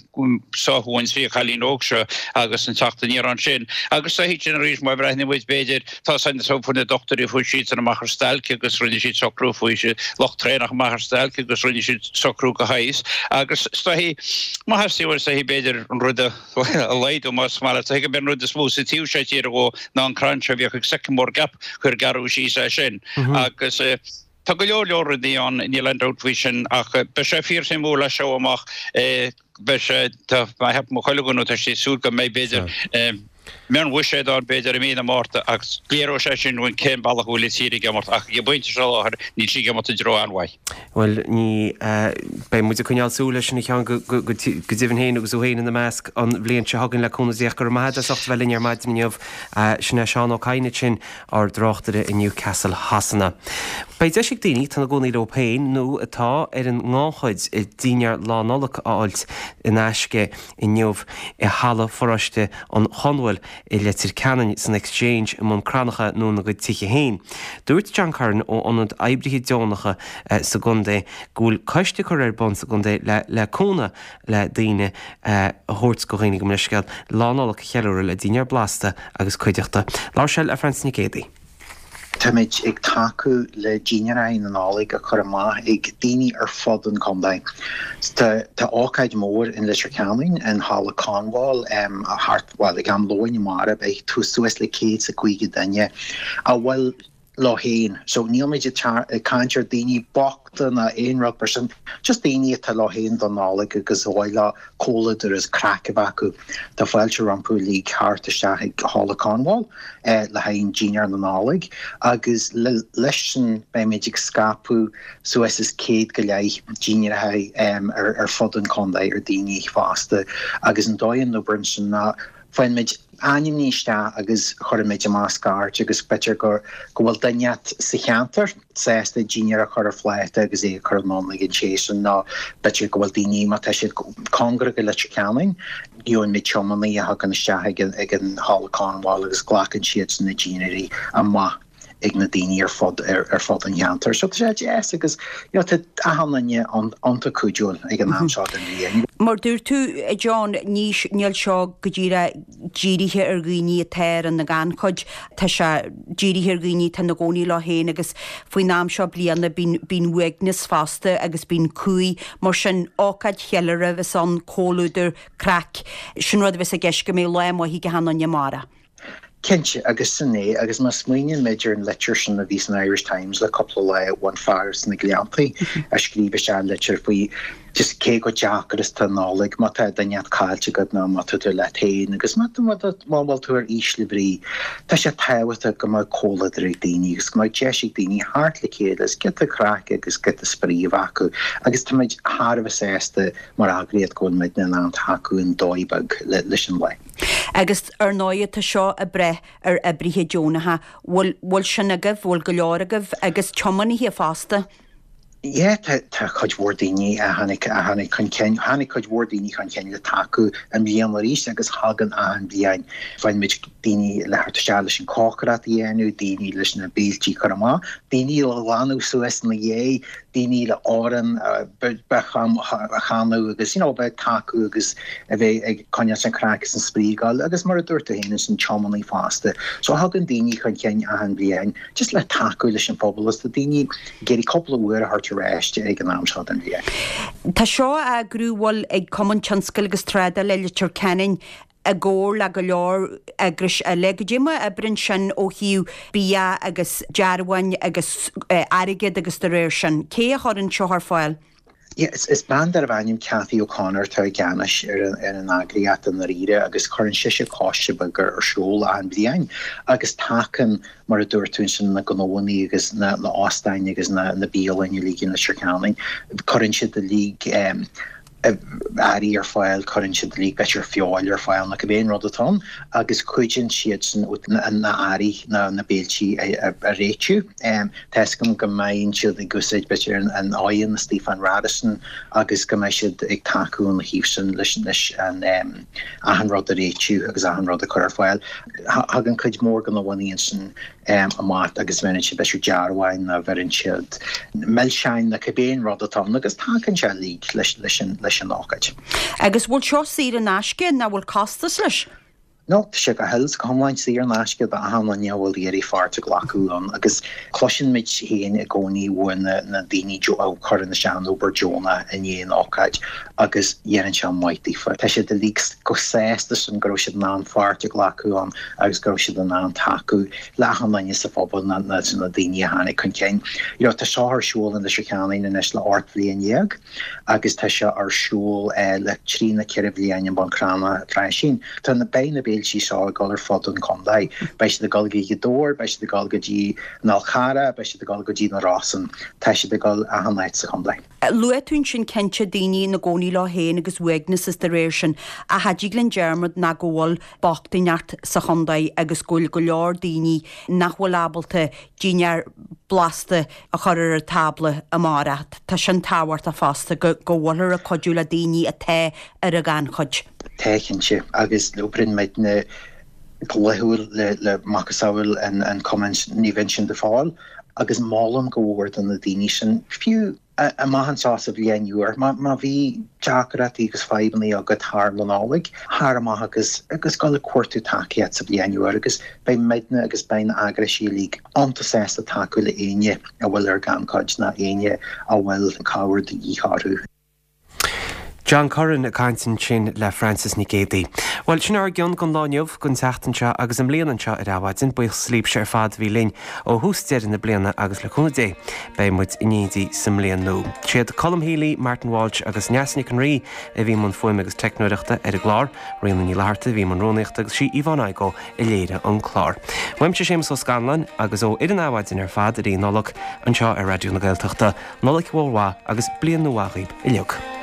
sáthadh an trí chailín óg seo agus an teacht aniar ansin agus sa sin arís má bhreathnaíonn muid b'fhéidir Tá san so fuair na dochtúirí fuair siadsan amach ar stailc agus rinne siad socrú fuair siad lucht traenach amach ar stailc agus rinne siad socrú go háis agus is dóichí má theastaíonn uait is dóichí b'fhéidir an rud a laghdú más maith leat is dóichí go mb'é an rud is mó sa taobh seo tíre dhó ná an crann seo a bhíodh ag Sycamore Gap gur gearradh síos é sin agus Tá go leor leor rudaí ann, níl aon dabht faoi sin, ach beidh sé fíorshuimiúil as seo amach. Beidh sé, tá, cheap mo chuile dhuine, tá sé ag súil go mbeidh, b'fhéidir, mionbhuiséad ann, b'fhéidir, i mí na Márta, ach léireoidh sé sin dúinn cén bealach a bhfuil an tír ag imeacht, ach ag an bpointe seo i láthair, níl sí ag imeacht i dtreo an-mhaith. Bhuel, ní, beidh muid ag coinneáil súil leis sin, a Sheáin, go deimhin féin agus thú féin ina measc an bhliain seo chugainn le cúnamh Dé. Ach go raibh maith agat as ucht a bheith linn ar maidin inniu. Sin é Seán Ó Cadhain ansin. ár dtráchtaire i Newcastle Shasana. Beidh deis ag daoine atá ina gcónaí leo féin nó atá ar an ngannchuid dinnéar Lá Nollag a fháilt in aisce inniu i Halla Pharóiste an Chonbhail i Leitir Ceanainn, san Exchange i mBun Cranncha nó ina gcuid tithe féin. Dúirt John Curran ó Ionad Oibrithe Deonacha sa gcontae go bhfuil coiste curtha ar bun sa gcontae le le cúnamh le daoine a thabhairt go dhaoine gabh mo leithscéal, Lá Nollag a cheiliúradh le dinnéar blasta agus cuideachta. Labhair sé le Francie Nic Géadaigh. Táimid ag tacú le dinnéirí na Nollag a chur amach ag daoine ar fud an chontae. Tá ócáid mhór in Leitir Ceanainn in Halla Conwal thart, bhuel, ag am lóin amárach beidh suas le céad is a caoga duine a bhfuil leo féin. So níl muid ag caint ar daoine bochta ná aon rud mar sin, just daoine atá leo féin don Nollaig agus ar mhaith leo comhluadar is craic a bheith acu. Tá fáilte rompu uilig theacht isteach ag Halla Conwal le haghaidh dinnéar na Nollag agus leis sin beimid ag scaipeadh suas is céad go leith dinnéaracha ar fud an chontae ar daoine fásta agus an dóigh a n-oibríonn sin ná Faigheann muid ainmní isteach agus cuireann muid amach scairt agus b'fhéidir go go bhfuil duine sa cheantar sásta dinnéar a chur ar phláta agus é a chur anonn ag an té sin nó b'fhéidir go bhfuil daoine má tá siad cóngarach go Leitir Ceanainn gheobhaidh muid tiománaí a thagann isteach ag an ag an Halla Conwal agus glacann siadsan na dinnéirí amach ag na daoine ar fud ar fud an cheantair. So tá sé deas agus you know tá achan duine iontach cuidiúil ag an am seo den bhliain. Mar dúirt tú, a John, ní níl seo go díreach dírithe ar dhaoine atá ar an ngannchuid, tá sé dírithe ar dhaoine atá ina gcónaí leo féin agus faoin am seo bliana bíonn bíonn uaigneas fosta agus bíonn cumhaidh, mar sin ócáid cheiliúradh a bheas ann, comhluadar, craic, sin rud a bheas i gceist go mbeidh lá maith ag achan duine amárach. Cinnte, agus sin é, agus má smaoiníonn muid ar an litir sin a bhí san Irish Times le cúpla lá ón fear sna Gleanntaí a scríobh isteach litir faoi Just cé chomh deacair is tá Nollaig má tá duine caillte agat nó má tá tú leat féin agus má má bhfuil tú ar ísle brí, tá sé tábhachtach go mbeadh comhluadar ag daoine agus go mbeadh deis ag daoine theacht le chéile agus giota craic agus giota spraoi a bheith acu agus táimid thar a bheith sásta mar eagraíocht go bhfuil muidne in ann tacú i ndóigh beag leis an lá. Agus ar ndóigh tá seo ag brath ar oibrithe deonacha, bhfuil bhfuil sin agaibh, bhfuil go leor agaibh agus tiománaithe fosta? Yeah, tá tá cuid mhór daoine a tháinig a tháinig chun cinn, tháinig cuid mhór daoine chun cinn le tacú i mbliana arís agus thagann achan bhliain. Faigheann muid daoine le theacht isteach leis an cócaireacht a dhéanamh, daoine leis na béiltí a chur amach, daoine le glanadh suas ina dhiaidh, daoine le amhrán a chanadh agus you know bheith ag tacú agus a bheith ag coinneáil an craic is an spraoi ag dul agus mar a dúirt tú féin is an tiománaí fosta. So thagann daoine chun cinn achan bhliain just le tacú leis an phobal is tá daoine ag iarraidh cúpla uair a thabhairt ar ais ag an am seo den bhliain. Tá seo á eagrú bhfuil ag Cumann Tionscail agus Trádála Leitir Ceanainn i gcomhar le go leor eagrais eile. Goidé mar a oibríonn sin ó thaobh bia agus dearbháin agus airgead agus de réir sin. Cé a chuireann seo ar fáil? Yeah, is, is bean darbh ainm Cathy O'Connor atá i gceannas ar an, ar an eagraíocht i ndáiríre agus cuireann sise coiste beag ar siúl achan bhliain agus tacann mar a dúirt tú ansin na gnóanna agus na, na óstáin agus na, na bialanna uilig in Leitir Ceanainn. Cuireann siad uilig um, earraí ar fáil, cuireann siad uilig b'fhéidir feoil ar fáil nó cibé an rud atá ann agus cuidíonn siadsan na hearraí na na béiltí a réitiú. Tá 'fhios agam go mbeidh siad ag úsáid b'fhéidir an oigheann istigh fán Radisson agus go mbeidh siad ag tacú ina thaobh sin leis leis an achan rud a réitiú agus achan rud a chur ar fáil. Thagann cuid mhór de na gnóanna ansin amach agus bheireann siad b'fhéidir dearbháin nó bheireann siad milseáin nó cibé an rud atá ann agus tagann sé uilig leis leis an leis an ócáid. Agus bhfuil seo saor in aisce nó bhfuil costas leis? No, tá sé go huile is go hiomlán saor in aisce d'achan duine a bhfuil ag iarraidh páirt a ghlacadh ann agus cloiseann muid féin i gcónaí uaidh na, na daoine a chuireann isteach an obair deonach i ndiaidh an ócáid agus dhéanann sé maith daofa. Tá siad uilig chomh sásta sin go raibh siad in ann páirt a ghlacadh ann agus go raibh siad in ann tacú le achan duine sa phobal na, na, na daoine a tháinig chun cinn. You know, tá seo ar siúl in Leitir Ceanainn anois le ocht bhliain dhéag agus tá sé ar siúl eh, le trí nó ceithre bhliain i mBun Cranncha freisin. Tá na beidh na béiltí seo ag dul ar fud an chontae. Beidh siad ag dul go Gaoth Dobhair, beidh siad ag dul go dtí an Fhál Carrach, beidh siad ag dul go dtí na Rosann. Tá siad ag dul achan áit sa chontae. Luaigh tú ansin cinnte daoine ina gcónaí leo féin agus uaigneas is de réir sin, ach cha dtig linn dearmad ná go bhfuil bochtaineacht sa chontae agus go bhfuil go leor daoine nach bhfuil ábalta dinnéar blasta a chur ar an tábla amárach. Tá sin tábhachtach fosta go go bhfuiltear ag cuidiú le daoine atá ar an ghannchuid. Tá cinnte agus oibríonn muidne go laethúil le le macasamhail an an Cumann Naomh Uinseann de Phául agus molaim go mhór do na daoine sin fiú amach anseo sa bhliain úr má má bhí deacrachtaí agus fadhbanna agat thar na Nollaig tar amach agus agus gabh ag cuartú tacaíocht sa bhliain úr agus beidh muidne agus beidh na heagraisí uilig iontach sásta tacú le éinne a bhfuil ar gannchuid ná éinne a bhfuil cabhair de dhíth orthu. John Curran ag caint ansin le Francis Nic Géadaigh. Well sin ár gcion don lá inniu don tseachtain seo agus an mbliain anseo ar Adhmhaidin buíochas libhse ar fad a bhí linn ó thús deireadh na bliana agus le cúnamh Dé beidh muid in éindí sa mbliain nua. Siad Colm Healy, Martin Walsh agus Neasa Nic an Rí a bhí i mbun fuaime agus teicneoireachta ar an gclár, Ríona Ní Fhlatharta a bhí i mbun rúnaíochta agus sí Yvonne Igoe a léirigh an clár. Uaimse Séamus Ó Scanláin agus ó fhoireann Adhmhaidin ar fad i rith Nollag anseo ar Raidió na Gaeltachta, Nollaig mhór mhaith agus bliain nua mhaith dhaoibh uilig.